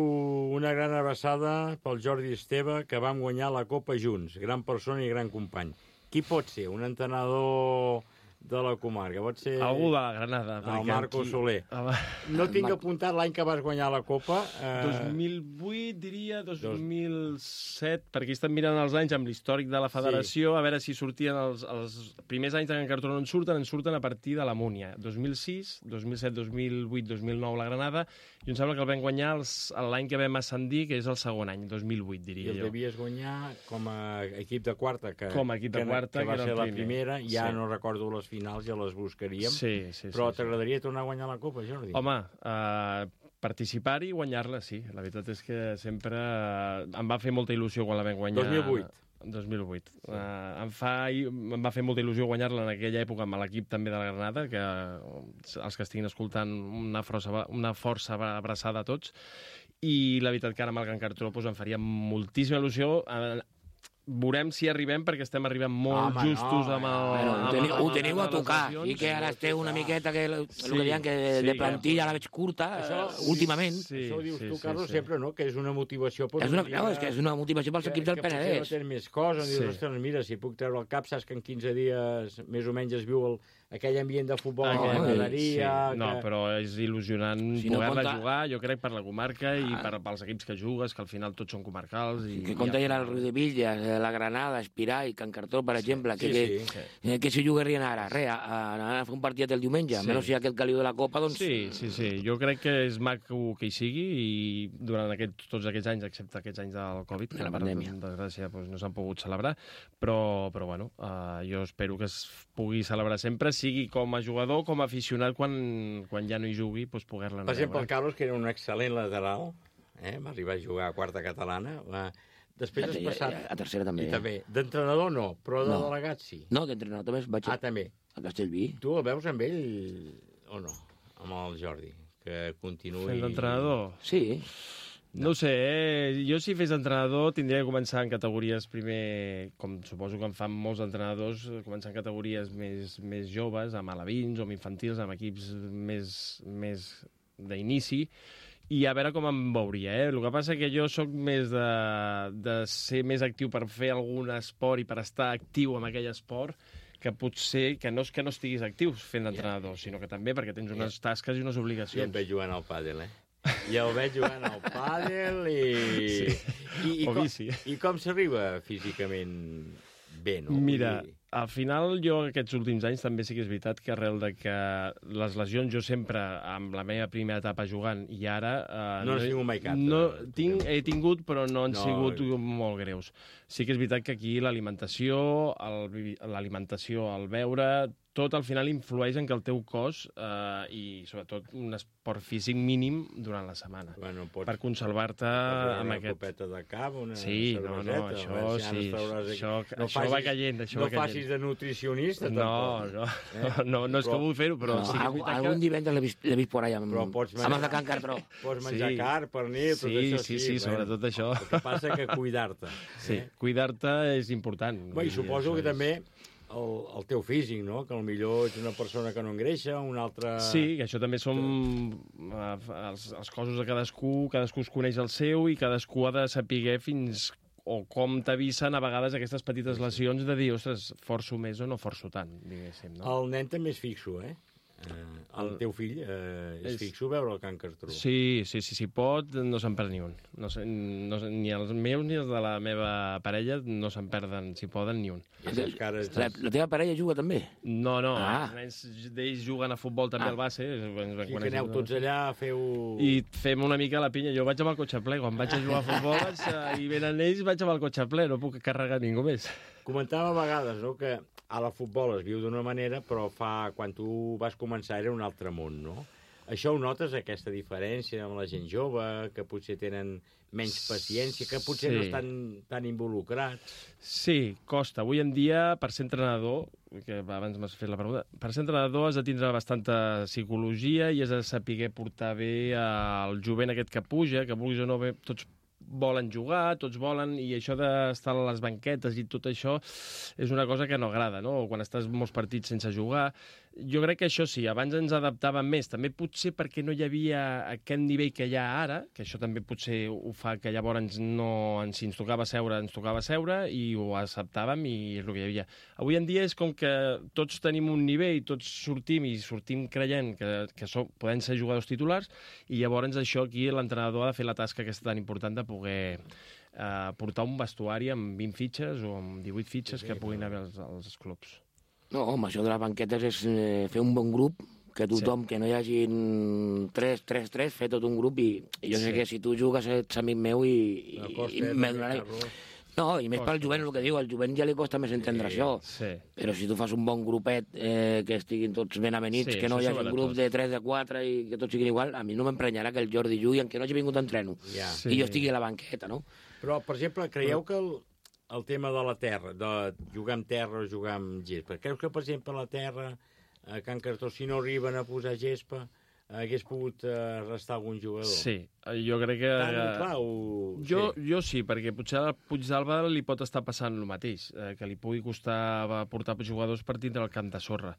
una gran abraçada pel Jordi Esteve, que vam guanyar la Copa junts. Gran persona i gran company. Qui pot ser? Un entrenador de la comarca? Pot ser... Algú de la Granada. El Marco aquí... Soler. Ah, no tinc Mar... apuntat l'any que vas guanyar la Copa. Eh... dos mil vuit, diria, dos mil set, perquè estan mirant els anys amb l'històric de la federació, sí. A veure si sortien els, els primers anys de Can Cartró no en surten, en surten a partir de la Múnia. dos mil sis, dos mil set, dos mil vuit, dos mil nou la Granada, i em sembla que el vam guanyar els, l'any que vam ascendir, que és el segon any, dos mil vuit, diria jo. I el jo. devies guanyar com a equip de quarta, que, com a equip de quarta, que, que va que ser la primer. primera, ja sí. no recordo les finals, ja les buscaríem, sí, sí, però sí, t'agradaria sí. tornar a guanyar la Copa, Jordi? Home, uh, participar-hi i guanyar-la, sí. La veritat és que sempre uh, em va fer molta il·lusió quan la vam guanyar. dos mil vuit. dos mil vuit. Sí. Uh, em, fa, em va fer molta il·lusió guanyar-la en aquella època amb l'equip també de la Granada, que els que estiguin escoltant una força, una força abraçada a tots, i la veritat que ara amb el Can Cartró doncs, em faria moltíssima il·lusió. Uh, Veurem si arribem, perquè estem arribant molt Home, justos no, amb el... Bueno, ho teniu, ho teniu a tocar, i que ara esteu una miqueta, que, sí, el que diuen que de, sí, de plantilla la veig curta, això, últimament. Sí, això ho dius sí, tu, Carlos, sí, sí. sempre, no?, que és una motivació... És una, no, és que és una motivació pels equips del Penedès. Que potser no tens més coses, sí. dius, ostres, mira, si puc treure el cap, saps que en quinze dies més o menys es viu el, aquell ambient de futbol a la graderia... Sí. No, que... però és il·lusionant si poder-la no compta... jugar, jo crec, per la comarca ah. i per, pels equips que jugues, que al final tots són comarcals. I, que compta ja el Riu de Villas, la Granada, Espirà i Can Cartró, per exemple, sí, que, sí, que, sí. que si jugarien ara, res, a, a, a fer un partit el diumenge, sí. menys si hi ha aquest caliu de la Copa, doncs... Sí, sí, sí, jo crec que és maco que hi sigui i durant aquest, tots aquests anys, excepte aquests anys del Covid, que la pandèmia, per desgràcia doncs, no s'han pogut celebrar, però, però bueno, uh, jo espero que es pugui celebrar sempre, sigui com a jugador, com a aficionat, quan, quan ja no hi jugui, doncs poder-la... Per exemple, el Carlos, que era un excel·lent lateral, eh? va arribar a jugar a quarta catalana, va... Després has passat... A tercera també. I també. D'entrenador no, però de no. delegat sí. No, d'entrenador també vaig ah, també. a Castellví. Tu el veus amb ell o no? Amb el Jordi, que continuï... Fent d'entrenador? Sí. No. no sé, eh? Jo si fes entrenador tindria que començar en categories primer, com suposo que en fan molts entrenadors, començar en categories més, més joves, amb alevins o amb infantils, amb equips més, més d'inici, i a veure com em veuria, eh? El que passa que jo sóc més de, de ser més actiu per fer algun esport i per estar actiu en aquell esport, que potser que no és que no estiguis actiu fent d'entrenador, yeah. sinó que també perquè tens unes yeah. tasques i unes obligacions. Ja et veig jugant al pàdel, eh? Ja el veig jugant al pàdel i... Sí. I, i, com, i com s'arriba físicament bé, no? Mira, al final jo aquests últims anys també sí que és veritat que arrel de que les lesions jo sempre, amb la meva primera etapa jugant i ara... Eh, no has tingut mai cap. No, tinc, he tingut, però no han no. sigut molt greus. Sí que és veritat que aquí l'alimentació, l'alimentació, el beure, tot al final influeix en que el teu cos eh, i sobretot un esport físic mínim durant la setmana. Bueno, pots, per conservar-te amb aquest... Una copeta de cap, una sí, no, no, això sí, això, no això facis, va caient, això no va caient. facis de nutricionista, no, tampoc. No, eh? no, no és però, que vull fer-ho, però... No, sí algun, que... algun divendres l'he vist, vist por allà amb, però pots menjar, amb el de Can Cartró. Pots menjar sí. car, pernil, tot sí, això sí. Sí, sí, bueno, sobretot això. El que passa que cuidar-te. Sí, eh? cuidar-te és important. Bé, i suposo que és... també... El, el teu físic, no? Que potser ets una persona que no engreixa, una altra... Sí, que això també són uh, els, els cossos de cadascú, cadascú es coneix el seu i cadascú ha de saber fins o com t'avisen a vegades aquestes petites lesions de dir, ostres, forço més o no forço tant, diguéssim, no? El nen també és fixo, eh? Eh, el teu fill eh, és, és fixo veure el Can Cartró. Sí, sí, sí, si pot, no se'n perd ni un. No, sé, no, ni els meus ni els de la meva parella no se'n perden, si poden, ni un. Cares... La, la teva parella juga també? No, no, ah. els nens d'ells juguen a futbol també ah. al base. I que aneu tots allà, feu... I fem una mica la pinya. Jo vaig amb el cotxe ple. Quan vaig a jugar a futbol vaig a... i venen ells, vaig amb el cotxe ple. No puc carregar ningú més. Comentava a vegades, no?, que a la futbol es viu d'una manera, però fa quan tu vas començar era un altre món, no? Això ho notes, aquesta diferència amb la gent jove, que potser tenen menys paciència, que potser sí. no estan tan involucrats? Sí, costa. Avui en dia, per ser entrenador, que abans m'has fet la pregunta, per ser entrenador has de tindre bastanta psicologia i has de saber portar bé el jovent aquest que puja, que vulguis o no bé, tots volen jugar, tots volen, i això d'estar a les banquetes i tot això és una cosa que no agrada, no? Quan estàs molts partits sense jugar. Jo crec que això sí, abans ens adaptàvem més, també potser perquè no hi havia aquest nivell que hi ha ara, que això també potser ho fa que llavors no, si ens tocava seure, ens tocava seure i ho acceptàvem i és el que hi havia. Avui en dia és com que tots tenim un nivell, tots sortim i sortim creient que, que som, podem ser jugadors titulars, i llavors això aquí l'entrenador ha de fer la tasca aquesta tan important de poder eh, portar un vestuari amb vint fitxes o amb divuit fitxes sí, sí, que puguin haver als, als clubs. No, home, això de les banquetes és eh, fer un bon grup, que tothom, sí. que no hi hagi tres, tres, tres, fer tot un grup, i, i jo sí. sé que si tu jugues ets amic meu i, i, i me donaré... No, i més pel jovent, el que diu, al jovent ja li costa més entendre sí, això, sí. però si tu fas un bon grupet eh, que estiguin tots ben avenits, sí, que no hi hagi un grup de tres, de quatre i que tots siguin igual, a mi no m'emprenyarà que el Jordi jugui, en què no hagi vingut a entreno, ja. sí. i jo estigui a la banqueta, no? Però, per exemple, creieu que el, el tema de la terra, de jugar amb terra o jugar amb gespa, creus que, per exemple, la terra, a Can Cartró, si no arriben a posar gespa, hagués pogut uh, restar algun jugador? Sí, jo crec que... Tan clar o... Jo, sí. jo sí, perquè potser al Puigdàlber li pot estar passant el mateix, eh, que li pugui costar portar jugadors per tindre el camp de sorra.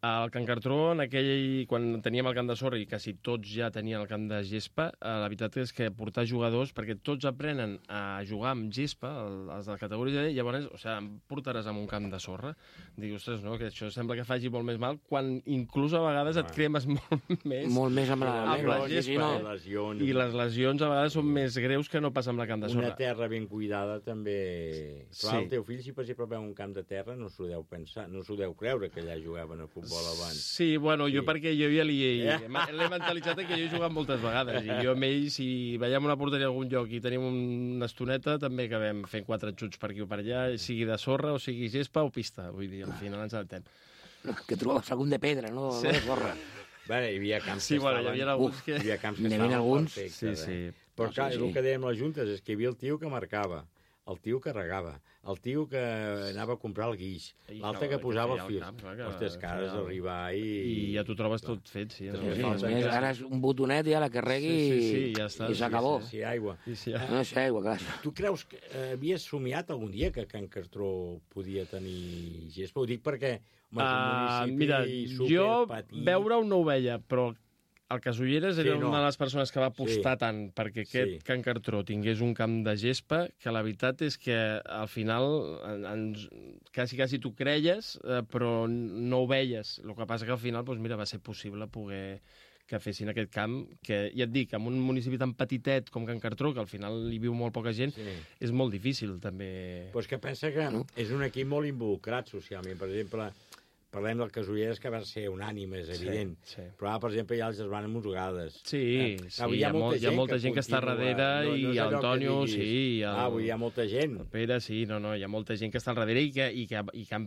Al Can Cartró, en aquell, quan teníem el camp de sorra i quasi tots ja tenien el camp de gespa, eh, la veritat és que portar jugadors, perquè tots aprenen a jugar amb gespa, els de la categoria D, llavors, o sigui, em portaràs amb un camp de sorra. Dic, ostres, no, que això sembla que faci molt més mal, quan inclús a vegades et cremes molt més... Molt més amb la, amb la gespa. I, lesions. I les lesions a vegades són més greus que no pas amb la camp de sorra. Una terra ben cuidada també... Però sí. El teu fill, si per exemple veu un camp de terra, no s'ho deu pensar, no s'ho deu creure que allà jugaven a futbol abans. Sí, bueno, sí. jo perquè jo ja li Yeah. l'he mentalitzat que jo he jugat moltes vegades, i jo amb ell, si veiem una porteria a algun lloc i tenim una estoneta, també acabem fent quatre xuts per aquí o per allà, sigui de sorra, o sigui gespa o pista, vull dir, al final ens adaptem. Que trobaves algun de pedra, no, sí. no de sorra. Bé, hi havia camps sí, que bueno, estaven... Hi havia alguns que... Hi havia camps que estaven alguns? Sí, perfectes. sí. Eh? Però clar, sí, sí. el que dèiem les juntes és que hi havia el tio que marcava, el tio que regava, el tio que anava a comprar el guix, l'altre que posava els fils. Ostres, que has d'arribar i... I ja t'ho trobes tot fet, sí. sí, sí, sí. Ara és un botonet i a la que regui sí, sí, sí, ja està, i s'acabó. Sí, sí, aigua. Sí, sí, ja. No sé, aigua, clar. Tu creus que eh, havies somiat algun dia que Can Cartró podia tenir gespa? Ho dic perquè home, és un municipi uh, mira, superpetit. Jo veure-ho no ho veia, però el Casulleres era sí, no. una de les persones que va apostar sí. tant perquè aquest sí. Can Cartró tingués un camp de gespa, que la veritat és que al final ens, quasi, quasi t'ho creies, eh, però no ho veies. El que passa que al final doncs, mira, va ser possible poder que fessin aquest camp, que ja et dic, en un municipi tan petitet com Can Cartró, que al final hi viu molt poca gent, sí. és molt difícil també... Però és que pensa que no? és un equip molt involucrat socialment. Per exemple, parlem del Casulleres, que va ser unànime, és evident. Sí, sí. Però, per exemple, hi ha els germans Mosugades. Sí, eh? sí hi, ha molta, hi ha molta gent que, que està darrere, no, no i Antonio, sí. El, ah, vull dir, hi ha molta gent. El Pere, sí, no, no, hi ha molta gent que està al darrere i que... I que, i que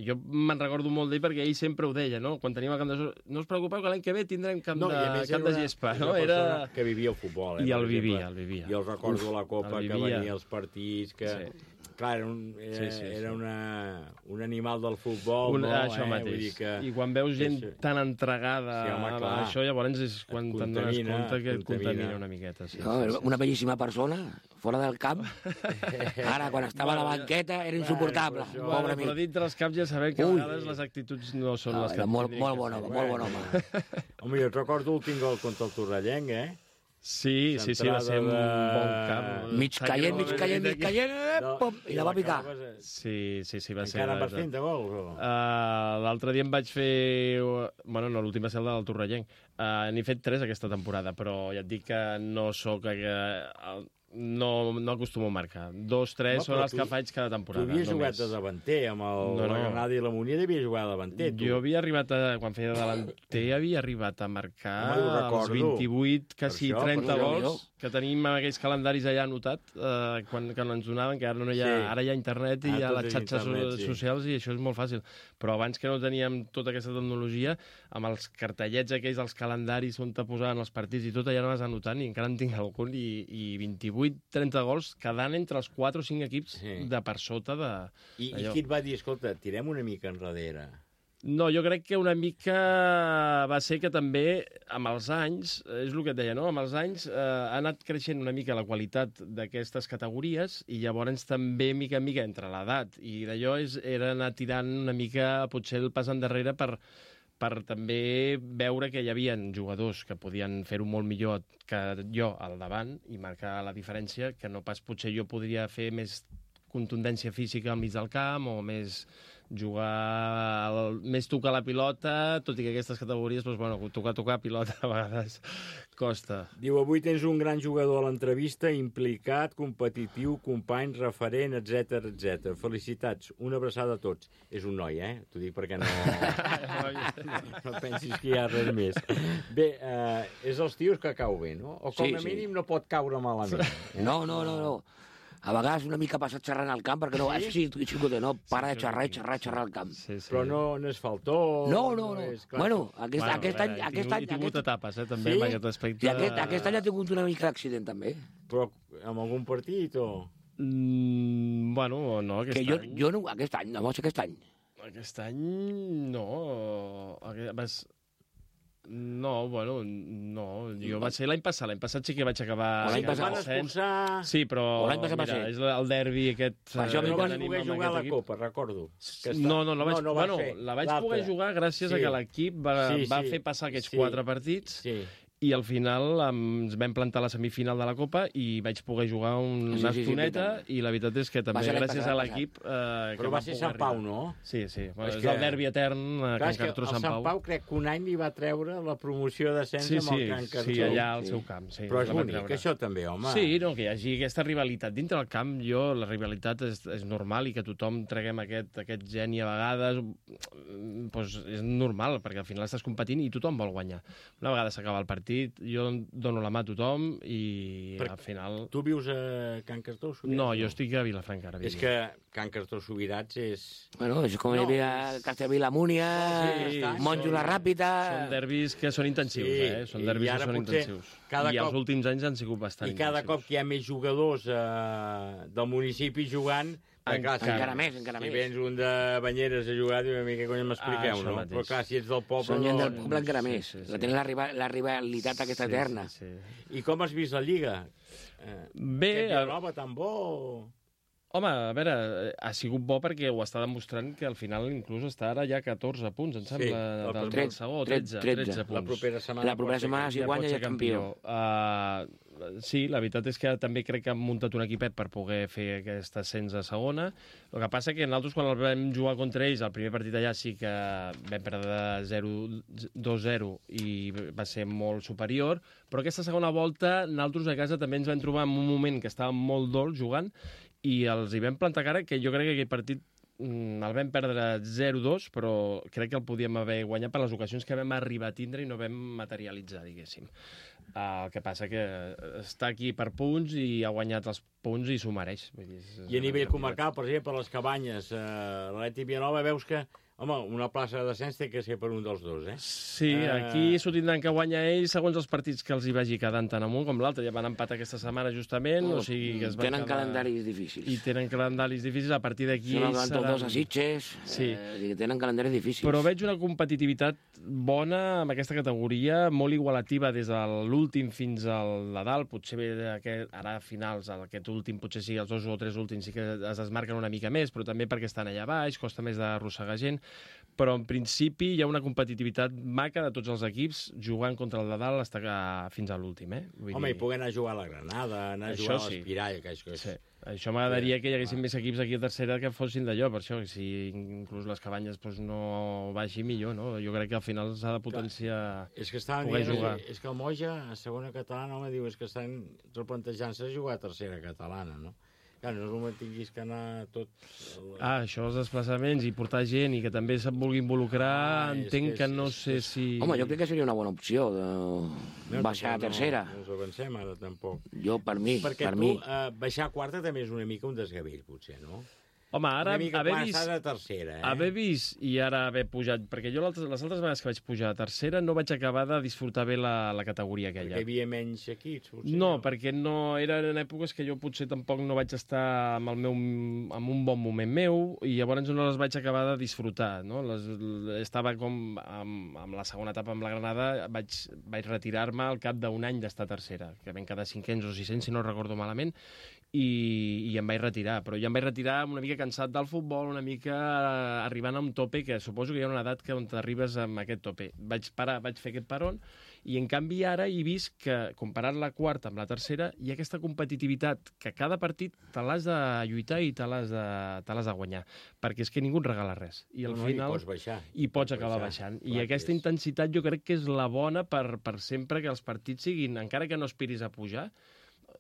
jo me'n recordo molt d'ell perquè ell sempre ho deia, no? Quan teníem el camp de... No us preocupeu que l'any que ve tindrem camp, no, de, camp de gespa, no? Era que vivia el futbol, eh? I el vivia, el vivia. I el recordo Uf, la Copa, que venia als partits, que... Sí. Clar, era, un, era, sí, sí, sí. era una, un animal del futbol, un, no? Això eh? mateix. Vull dir que... I quan veus gent sí. tan entregada sí, home, a això, llavors és quan te'n dones compte que et contamina. contamina una miqueta. Sí, no, sí, sí. Una bellíssima persona, fora del camp. Ara, quan estava bueno, a la banqueta, era insuportable. Bueno, bueno, però, però dintre els camps ja sabem que a vegades les actituds no són no, les que... Molt, molt bon home, molt bon home. Home, jo et recordo l'últim gol contra el Torrellenc, eh? Sí, sí, sí, va ser un bon camp. Mig caient, mig caient, mig caient, no, pom, i la va picar. Sí, sí, sí, va Encara ser... Encara vas fent de gols? O? Uh, l'altre dia em vaig fer... Bueno, no, l'últim va ser el del Torrellenc. Uh, N'he fet tres aquesta temporada, però ja et dic que no sóc... Uh, no, no acostumo a marcar. Dos, tres no, són els tu, que faig cada temporada. Tu havies només. jugat de davanter, amb el, no, no. la Granada i la Munier devies jugar de davanter, tu. Jo havia arribat, a, quan feia de davanter, havia arribat a marcar els vint-i-vuit, quasi això, trenta gols, que tenim aquells calendaris allà anotat, eh, quan, quan ens donaven, que ara, no hi ha, sí. ara hi ha internet i ah, hi ha les xarxes internet, sí. socials i això és molt fàcil. Però abans que no teníem tota aquesta tecnologia, amb els cartellets aquells dels calendaris on te posaven els partits i tot, allà anaves anotant i encara en tinc algun, i, i vint-i-vuit, trenta gols quedant entre els quatre o cinc equips sí. de per sota de... I, I qui et va dir, escolta, tirem una mica enrere? No, jo crec que una mica va ser que també, amb els anys, és el que et deia, no? Amb els anys eh, ha anat creixent una mica la qualitat d'aquestes categories i llavors també, mica en mica, entre l'edat i d'allò, és, era anar tirant una mica, potser el pas endarrere per, per també veure que hi havia jugadors que podien fer-ho molt millor que jo al davant i marcar la diferència, que no pas potser jo podria fer més contundència física al mig del camp o més jugar, el, més tocar la pilota, tot i que aquestes categories, doncs, bueno, tocar, tocar pilota a vegades costa. Diu, avui tens un gran jugador a l'entrevista, implicat, competitiu, company, referent, etcètera, etcètera. Felicitats, una abraçada a tots. És un noi, eh? T'ho dic perquè no... no pensis que hi ha res més. Bé, eh, és els tios que cau bé, no? O com sí, a mínim sí. no pot caure malament. Eh? No, no, no, no. A vegades una mica passat xerrant al camp, perquè no, sí? sí, xicote, no, para de xerrar i xerrar, xerrar al camp. Sí, sí. Però no, no és faltó... No, no, no. És, bueno, aquest, bueno, aquest any... Aquest any he tingut etapes, eh, també, sí? en aquest aspecte. I aquest, aquest any ha tingut una mica d'accident, també. Però amb algun partit o...? Mm, bueno, no, aquest que jo, any... Jo no, aquest any, no, aquest any. Aquest any, no. Aquest, vas... No, bueno, no. Jo va ser l'any passat. L'any passat sí que vaig acabar... L'any passat van expulsar... Sí, però mira, és el derbi aquest... Per això no vas poder jugar a la Copa, recordo. Que està... No, no, la vaig, no, no bueno, la vaig poder jugar gràcies sí. a que l'equip va, sí, sí. va fer passar aquests sí. quatre partits... Sí. I al final ens vam plantar a la semifinal de la Copa i vaig poder jugar una sí, sí, estoneta sí, i la veritat és que també gràcies a l'equip... Eh, Però va ser Sant Pau, no? Sí, sí. Bueno, és, és que... el derbi etern a Can Cartró Sant Pau. El Sant Pau crec que un any li va treure la promoció d'ascens sí, sí, amb el Can Cartró. Sí, allà al seu camp. Sí, però és bonic, això també, home. Sí, no, que hi hagi aquesta rivalitat. Dintre del camp, jo, la rivalitat és, és normal i que tothom treguem aquest, aquest geni a vegades, doncs és normal, perquè al final estàs competint i tothom vol guanyar. Una vegada s'acaba el partit, jo dono la mà a tothom i per, al final... Tu vius a Can Cartró Subirats? No, jo estic a Vilafranca. Ara és que Can Cartró Subirats és... Bueno, és com no, hi havia Castellví la Múnia, sí, Monjo la Ràpita... Són derbis que són intensius, sí, eh? Són derbis que són intensius. Cada I cop, els últims anys han sigut bastant I cada intensius. cop que hi ha més jugadors eh, del municipi jugant... Encara, clar, encara més, encara si més. Si vens un de Banyeres a jugar, diu una mica, cony, m'expliqueu, ah, no? Mateix. Però clar, si ets del poble... Són gent no... del poble encara més. Sí, sí, sí. Tenen la, rival, la rivalitat aquesta sí, eterna. Sí, sí. I com has vist la Lliga? Eh, Bé... Aquest Nova tan bo... Home, a veure, ha sigut bo perquè ho està demostrant que al final inclús està ara ja catorze punts, em sembla, sí, del, del segon, tretze, tretze punts. La propera setmana, la propera setmana si guanya ja campió. Uh, sí, la veritat és que també crec que han muntat un equipet per poder fer aquest ascens a segona. El que passa que nosaltres, quan el vam jugar contra ells, el primer partit allà sí que vam perdre dos zero i va ser molt superior, però aquesta segona volta nosaltres a casa també ens vam trobar en un moment que estàvem molt dolç jugant i els hi vam plantar cara, que jo crec que aquell partit mm, el vam perdre zero dos, però crec que el podíem haver guanyat per les ocasions que vam arribar a tindre i no vam materialitzar, diguéssim. Uh, el que passa que està aquí per punts i ha guanyat els punts i s'ho mereix. Vull dir, és, I a nivell comarcal, per exemple, per les Cabanyes, uh, l'Atlètic Vilanova, veus que home, una plaça de descens té que ser per un dels dos, eh? Sí, aquí s'ho tindran que guanyar ells segons els partits que els hi vagi quedant tant amunt com l'altre. Ja van empatar aquesta setmana justament, o sigui que es van tenen quedar... calendaris difícils. I tenen calendaris difícils, a partir d'aquí... Són els seran... dos a Sitges, sí. eh, tenen calendaris difícils. Però veig una competitivitat bona amb aquesta categoria, molt igualativa des de l'últim fins al Nadal, potser bé aquest, ara a finals, aquest últim, potser sí, els dos o tres últims sí que es desmarquen una mica més, però també perquè estan allà baix, costa més d'arrossegar gent. Però, en principi, hi ha una competitivitat maca de tots els equips jugant contra el de dalt fins a, fins a l'últim, eh? Vull Home, dir... i poder anar a jugar a la Granada, anar a jugar a l'Espirall, que és... Sí. Això m'agradaria que hi haguessin més equips aquí a tercera que fossin d'allò, per això, si inclús les Cabanyes doncs, no baixi millor, no? Jo crec que al final s'ha de potenciar és que poder dient, jugar. És que el Moja, a segona catalana, home, diu, és que estan replantejant-se jugar a tercera catalana, no? Clar, no només tinguis que anar tot... Ah, això, els desplaçaments i portar gent i que també se'n vulgui involucrar, ah, entenc que, que no sé si... Home, jo crec que seria una bona opció, de no, baixar a tercera. No, no ens avancem ara, tampoc. Jo, per mi, Perquè per tu, mi... eh, baixar a quarta també és una mica un desgavell, potser, no? Home, ara una mica haver quan vist, estàs a tercera, eh? haver vist i ara haver pujat... Perquè jo les altres vegades que vaig pujar a tercera no vaig acabar de disfrutar bé la, la categoria aquella. Perquè hi havia menys equips, potser? No, no, perquè no, eren èpoques que jo potser tampoc no vaig estar amb, el meu, amb un bon moment meu i llavors no les vaig acabar de disfrutar, no? Les, estava com amb, amb la segona etapa amb la Granada, vaig, vaig retirar-me al cap d'un any d'estar a tercera, que vam quedar cinquens o sisens, si no recordo malament, i, i em vaig retirar. Però ja em vaig retirar una mica cansat del futbol, una mica arribant a un tope, que suposo que hi ha una edat que on t'arribes amb aquest tope. Vaig parar, vaig fer aquest peron, i en canvi ara he vist que, comparat la quarta amb la tercera, hi ha aquesta competitivitat que cada partit te l'has de lluitar i te l'has de, te l'has de guanyar, perquè és que ningú et regala res. I al no, final... I pots baixar. I pots acabar baixar. baixant. I aquesta intensitat jo crec que és la bona per, per sempre que els partits siguin, encara que no aspiris a pujar,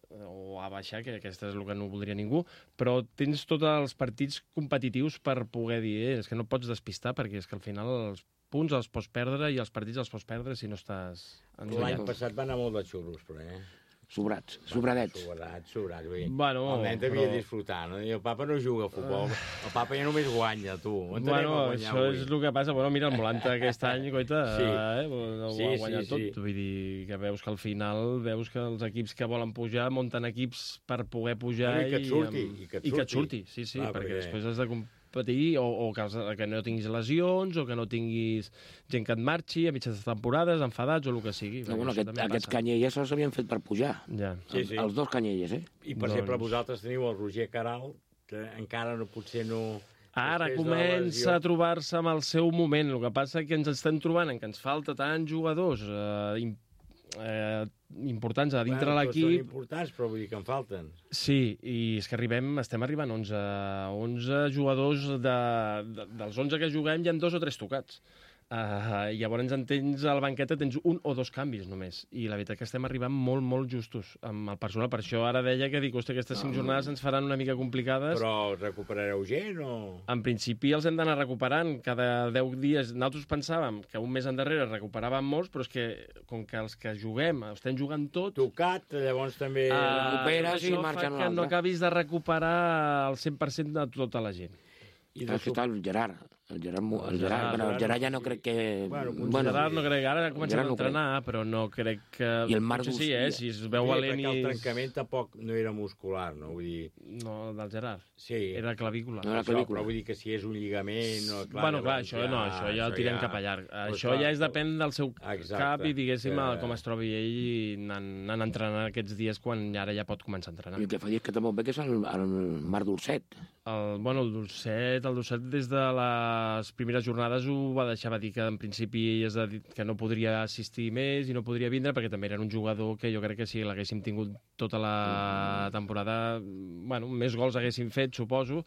o a baixar, que aquesta és el que no voldria ningú, però tens tots els partits competitius per poder dir, eh, és que no pots despistar, perquè és que al final els punts els pots perdre i els partits els pots perdre si no estàs... L'any passat va anar molt de xurros, però, eh? Sobrats, sobradets. Sobrats, sobrats. Vull dir, bueno, el nen devia però... disfrutar, no? I el papa no juga a futbol. El papa ja només guanya, tu. On bueno, això avui? És el que passa. Bueno, mira, el Molanta aquest any, coita, sí. eh, ho sí, ha guanyat sí, tot. Sí. Vull dir que veus que al final veus que els equips que volen pujar munten equips per poder pujar bueno, i que et surti. I, amb... I que et surti, I que et surti. Sí, sí, clar, perquè, perquè després has de competir o, o que, que no tinguis lesions o que no tinguis gent que et marxi a mitges temporades, enfadats o el que sigui. No, bueno, aquest, aquests canyelles els havien fet per pujar. Ja. Sí, sí. Els dos canyelles, eh? I, per doncs... exemple, vosaltres teniu el Roger Caral, que encara no, potser no... Ara comença a trobar-se amb el seu moment. El que passa és que ens estem trobant en que ens falta tants jugadors eh, eh, importants a dintre bueno, l'equip. Són importants, però vull dir que en falten. Sí, i és que arribem, estem arribant a onze, onze jugadors de, de, dels onze que juguem, hi ha dos o tres tocats. Uh, llavors en tens a la banqueta tens un o dos canvis només, i la veritat que estem arribant molt, molt justos amb el personal. Per això ara deia que dic, hosti, aquestes cinc jornades ens faran una mica complicades. Però recuperareu gent o...? En principi els hem d'anar recuperant cada deu dies. Nosaltres pensàvem que un mes endarrere recuperàvem molts, però és que com que els que juguem estem jugant tot... Tocat, llavors també... Uh, recuperes i marxen un altre. Que no acabis de recuperar el cent per cent de tota la gent. I de tot el Gerard. El Gerard, el Gerard, bueno, el Gerard ja no crec que... Bueno, bueno Gerard no crec, ara ha començat a entrenar, no però no crec que... I el Marc sí, eh? Si es veu valent i... el trencament tampoc no era muscular, no? Vull dir... No, del Gerard. Sí. Era clavícula. No era clavícula. Però vull dir que si és un lligament... No, clar, bueno, clar, això, ja, no, això ja el tirem ja... cap a llarg. Pues això clar, ja és depèn del seu exacte, cap i, diguéssim, que... com es trobi ell anant entrenant aquests dies quan ara ja pot començar a entrenar. I el que fa dir que també bé que és el, el Marc Dolcet. El, bueno, el Dolcet, el Dolcet des de les primeres jornades ho va deixar, va dir que en principi és de dir que no podria assistir més i no podria vindre perquè també era un jugador que jo crec que si l'haguéssim tingut tota la temporada, bueno, més gols haguéssim fet, suposo,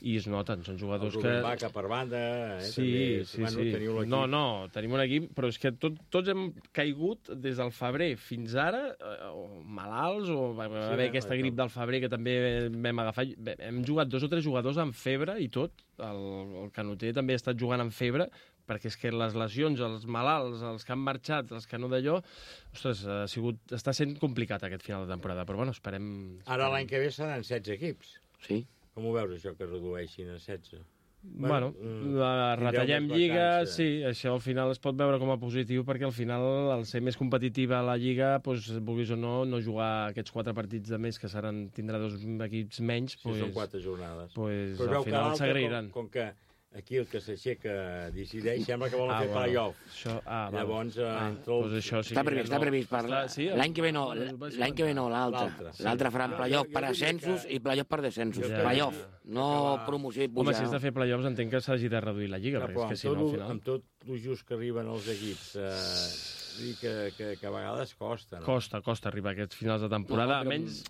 i es noten, són jugadors el que... El Vaca per banda, eh? Sí, també. sí, bueno, sí. Teniu no, no, tenim un equip, però és que tot, tots hem caigut des del febrer fins ara, eh, o malalts, o va haver sí, aquesta grip del febrer que també vam agafar. Hem jugat dos o tres jugadors amb febre i tot, el, el Canoter també ha estat jugant amb febre, perquè és que les lesions, els malalts, els que han marxat, els que no d'allò, ostres, ha sigut, està sent complicat aquest final de temporada, però bueno, esperem... Ara l'any que ve seran setze equips. Sí. Com ho veus, això, que redueixin a setze? Bueno, bueno retallem lliga, sí, això al final es pot veure com a positiu, perquè al final, al ser més competitiva la lliga, doncs, vulguis o no, no jugar aquests quatre partits de més, que seran, tindrà dos equips menys, sí, pues, són quatre jornades. Pues, però al final s'agrairan. Com, com que aquí el que s'aixeca decideix, sembla que volen Ah, fer bueno. play-off. Això- ah, val. Llavors, eh, Ah, entre els... doncs això sí Està que previst, no- està previst. Per Està- sí, l'any que ve no, el vaig l'any que ve no, l'altre. L'altre, sí. L'altre faran Jo- playoff jo- per jo diria ascensos que- i playoff per descensos. Ja, Playoff, ja. no promoció i Home, pujar. si has de fer play-offs entenc que s'hagi de reduir la lliga, No, perquè però és que amb si tot, no, al lo- final... amb tot el just que arriben els equips, eh, vull dir que, que, que a vegades costa, no? Costa, costa arribar a aquests finals de temporada. No, però- Almenys,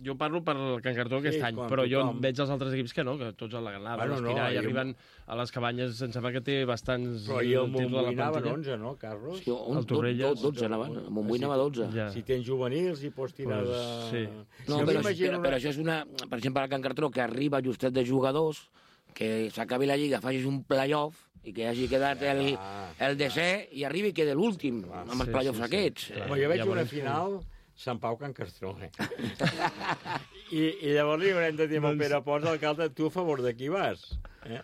jo parlo per el Can Cartró aquest Sí, any, com però jo tothom. veig els altres equips que no, que tots a la ganada, Bueno, bueno, no, aspirar, i i- arriben a les cabanyes, em sembla que té bastants Però i el títols a la Montbui anaven plantilla. onze, no, Carlos? Sí, un, El Torrelles. dotze anaven, el Montbui anava dotze. Ja. Si tens juvenils i pots tirar Pues, de... sí. No, Jo però, m'imagino però, una- però això és una... Per exemple, el Can Cartró, que arriba justet de jugadors, que s'acabi la lliga, facis un playoff, i que hagi quedat el, el desè, i arribi i quede l'últim, amb els sí, playoffs sí, sí. aquests. Clar. Home, jo veig Ja una veurem final Sant Pau Can Castró, eh? I, I llavors li haurem de dir amb el Pere Pons, alcalde, tu a favor de qui vas? Eh?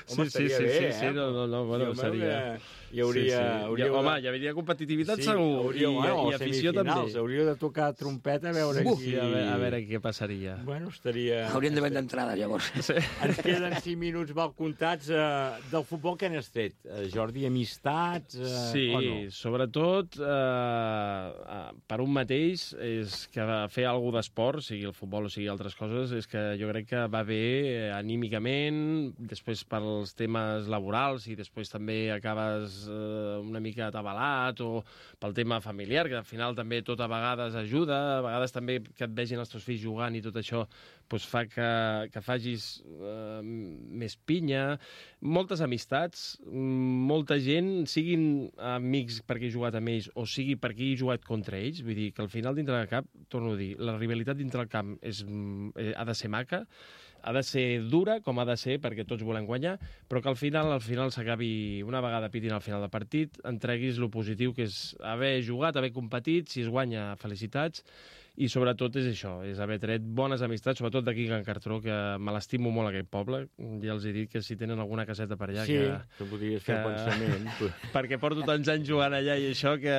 Sí, sí, sí, sí, sí, no, no, no, bueno, Sí, home, seria... Hi hauria... Sí, sí. hauria Ja, home, hi hauria competitivitat sí, segur, hauria, i, bueno, i afició també. Hauria de tocar trompeta a veure Uf, qui... a, veure, a veure què passaria. Bueno, estaria... Haurien de vendre entrades, llavors. Sí. Ens queden cinc minuts mal comptats. Eh, del futbol que n'has tret? Eh, Jordi, amistats eh, Sí, o no? sobretot eh, eh, per un mateix és que fer alguna d'esport, sigui el futbol o sigui altres coses, és que jo crec que va bé eh, anímicament, després pels temes laborals i després també acabes eh, una mica atabalat o pel tema familiar, que al final també tot a vegades ajuda, a vegades també que et vegin els teus fills jugant i tot això doncs fa que, que facis eh, més pinya, moltes amistats, molta gent, siguin amics perquè he jugat amb ells o sigui perquè he jugat contra ells, vull dir que al final dintre del camp, torno a dir, la rivalitat dintre del camp és, eh, ha de ser maca, ha de ser dura, com ha de ser, perquè tots volem guanyar, però que al final al final s'acabi, una vegada pitin al final del partit, entreguis lo positiu que és haver jugat, haver competit, si es guanya, felicitats, i sobretot és això, és haver tret bones amistats, sobretot d'aquí a Can Cartró, que me l'estimo molt aquest poble. Ja els he dit que si tenen alguna caseta per allà... Sí, que, que podries fer que... pensament. perquè porto tants anys jugant allà i això que...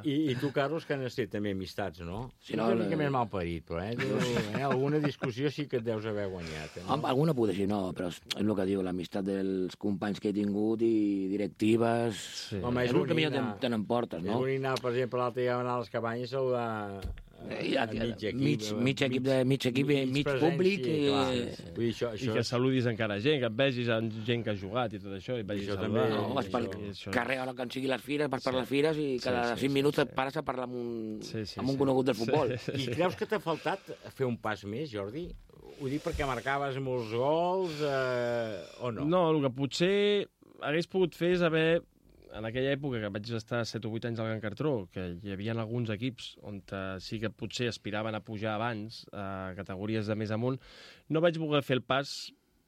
I, i tu, Carlos, que n'has fet també amistats, no? Sí, Sí, no, no, una mica la- més malparit, però, eh? Tu, eh? Alguna discussió sí que et deus haver guanyat. Eh? Home, alguna poder ser, no, però és el que diu, l'amistat dels companys que he tingut i directives... Sí. Home, és és el que bonic millor anar- te n'emportes, És no? bonic anar, per exemple, l'altre dia anar a les cabanyes a saludar Eh, a aquí, mig equip. mig, mig equip, de, mig, equip, mig, presència, públic... clar. Eh, Vull dir, això, I això que és- saludis encara gent, que et vegis amb gent que ha jugat i tot això, i et vagis Això a saludar. també- no, vas pel I això- carrer, ara que en sigui les fires, vas per les fires i cada Sí, sí, cinc sí, minuts sí. et pares a parlar amb un, Sí, sí, amb un sí. conegut del futbol. Sí, I creus que t'ha faltat fer un pas més, Jordi? Ho dic perquè marcaves molts gols eh, o no? No, el que potser hagués pogut fer és haver, en aquella època que vaig estar set o vuit anys al Can Cartró, que hi havia alguns equips on eh, sí que potser aspiraven a pujar abans, a categories de més amunt, no vaig voler fer el pas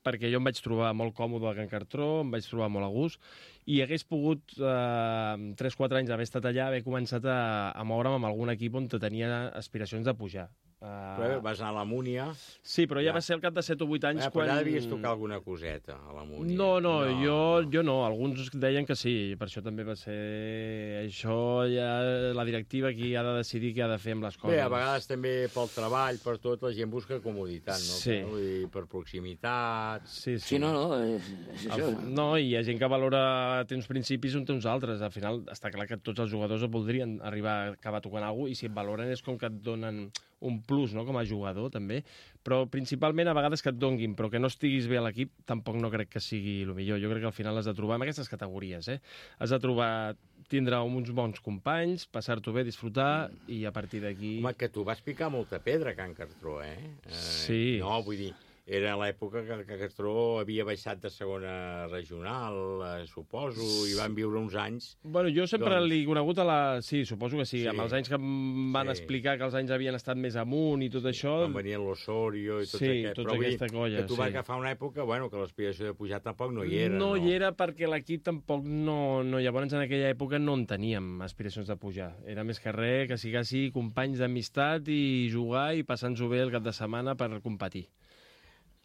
perquè jo em vaig trobar molt còmode al Can Cartró, em vaig trobar molt a gust, i hagués pogut, eh, tres o quatre anys haver estat allà, haver començat a, a moure'm amb algun equip on tenia aspiracions de pujar. Però vas anar a la Múnia. Sí, però ja Ja. va ser al cap de set o vuit anys Eh, però quan... allà devies tocar alguna coseta, a la Múnia. No, no, no, jo no. jo no. Alguns deien que sí, per això també va ser... Això ja la directiva qui ha de decidir què ha de fer amb les coses. Bé, a vegades també pel treball, per tot, la gent busca comoditat, no? Sí. Vull dir, per proximitat... Sí, sí. Sí, no, no, és, és això. El, no, i hi ha gent que valora, té uns principis on té uns altres. Al final està clar que tots els jugadors voldrien arribar a acabar tocant alguna cosa, i si et valoren és com que et donen un plus, no?, com a jugador, també. Però principalment a vegades que et donguin, però que no estiguis bé a l'equip, tampoc no crec que sigui el millor. Jo crec que al final has de trobar, en aquestes categories, eh? Has de trobar, tindre uns bons companys, passar-t'ho bé, disfrutar, i a partir d'aquí... Home, que tu vas picar molta pedra, Can Cartró, eh? eh Sí. No, vull dir, era l'època que Can Cartró havia baixat de segona regional, eh, suposo, i van viure uns anys... Bueno, jo sempre Doncs- l'he conegut a la... Sí, suposo que sí, Sí. amb els anys que em van Sí. explicar que els anys havien estat més amunt i tot això... Quan venien l'Osorio i tots Sí, aquests. tota Però vull dir aquesta colla, que tu vas sí. agafar una època, bueno, que l'aspiració de pujar tampoc no hi era, no, no? hi era perquè l'equip tampoc no, no... Llavors, en aquella època no en teníem aspiracions de pujar. Era més que res que siguessi companys d'amistat i jugar i passar-nos-ho bé el cap de setmana per competir.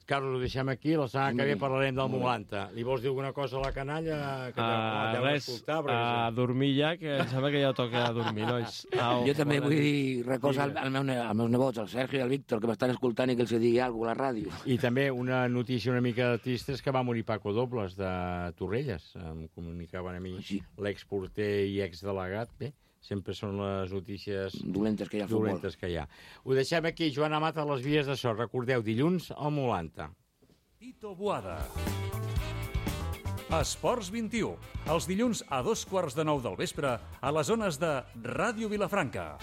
Carlos, ho deixem aquí, la setmana que ve parlarem del Molanta. Li vols dir alguna cosa a la canalla? Que uh, res, a uh, dormir ja, que em sembla que ja toca dormir, nois. Au, jo també vull dir recolzar al, al meu, als meus nebots, el Sergio i el Víctor, que m'estan escoltant i que els digui alguna cosa a la ràdio. I també una notícia una mica trista és que va morir Paco Dobles de Torrelles. Em comunicaven a mi sí. L'exporter i exdelegat. Bé, sempre són les notícies dolentes que hi ha al futbol. Dolentes que hi ha. Ho deixem aquí, Joan Amat, a les vies de so. Recordeu, dilluns al Molanta. Tito Boada. Esports vint-i-u, els dilluns a dos quarts de nou del vespre a les zones de Ràdio Vilafranca.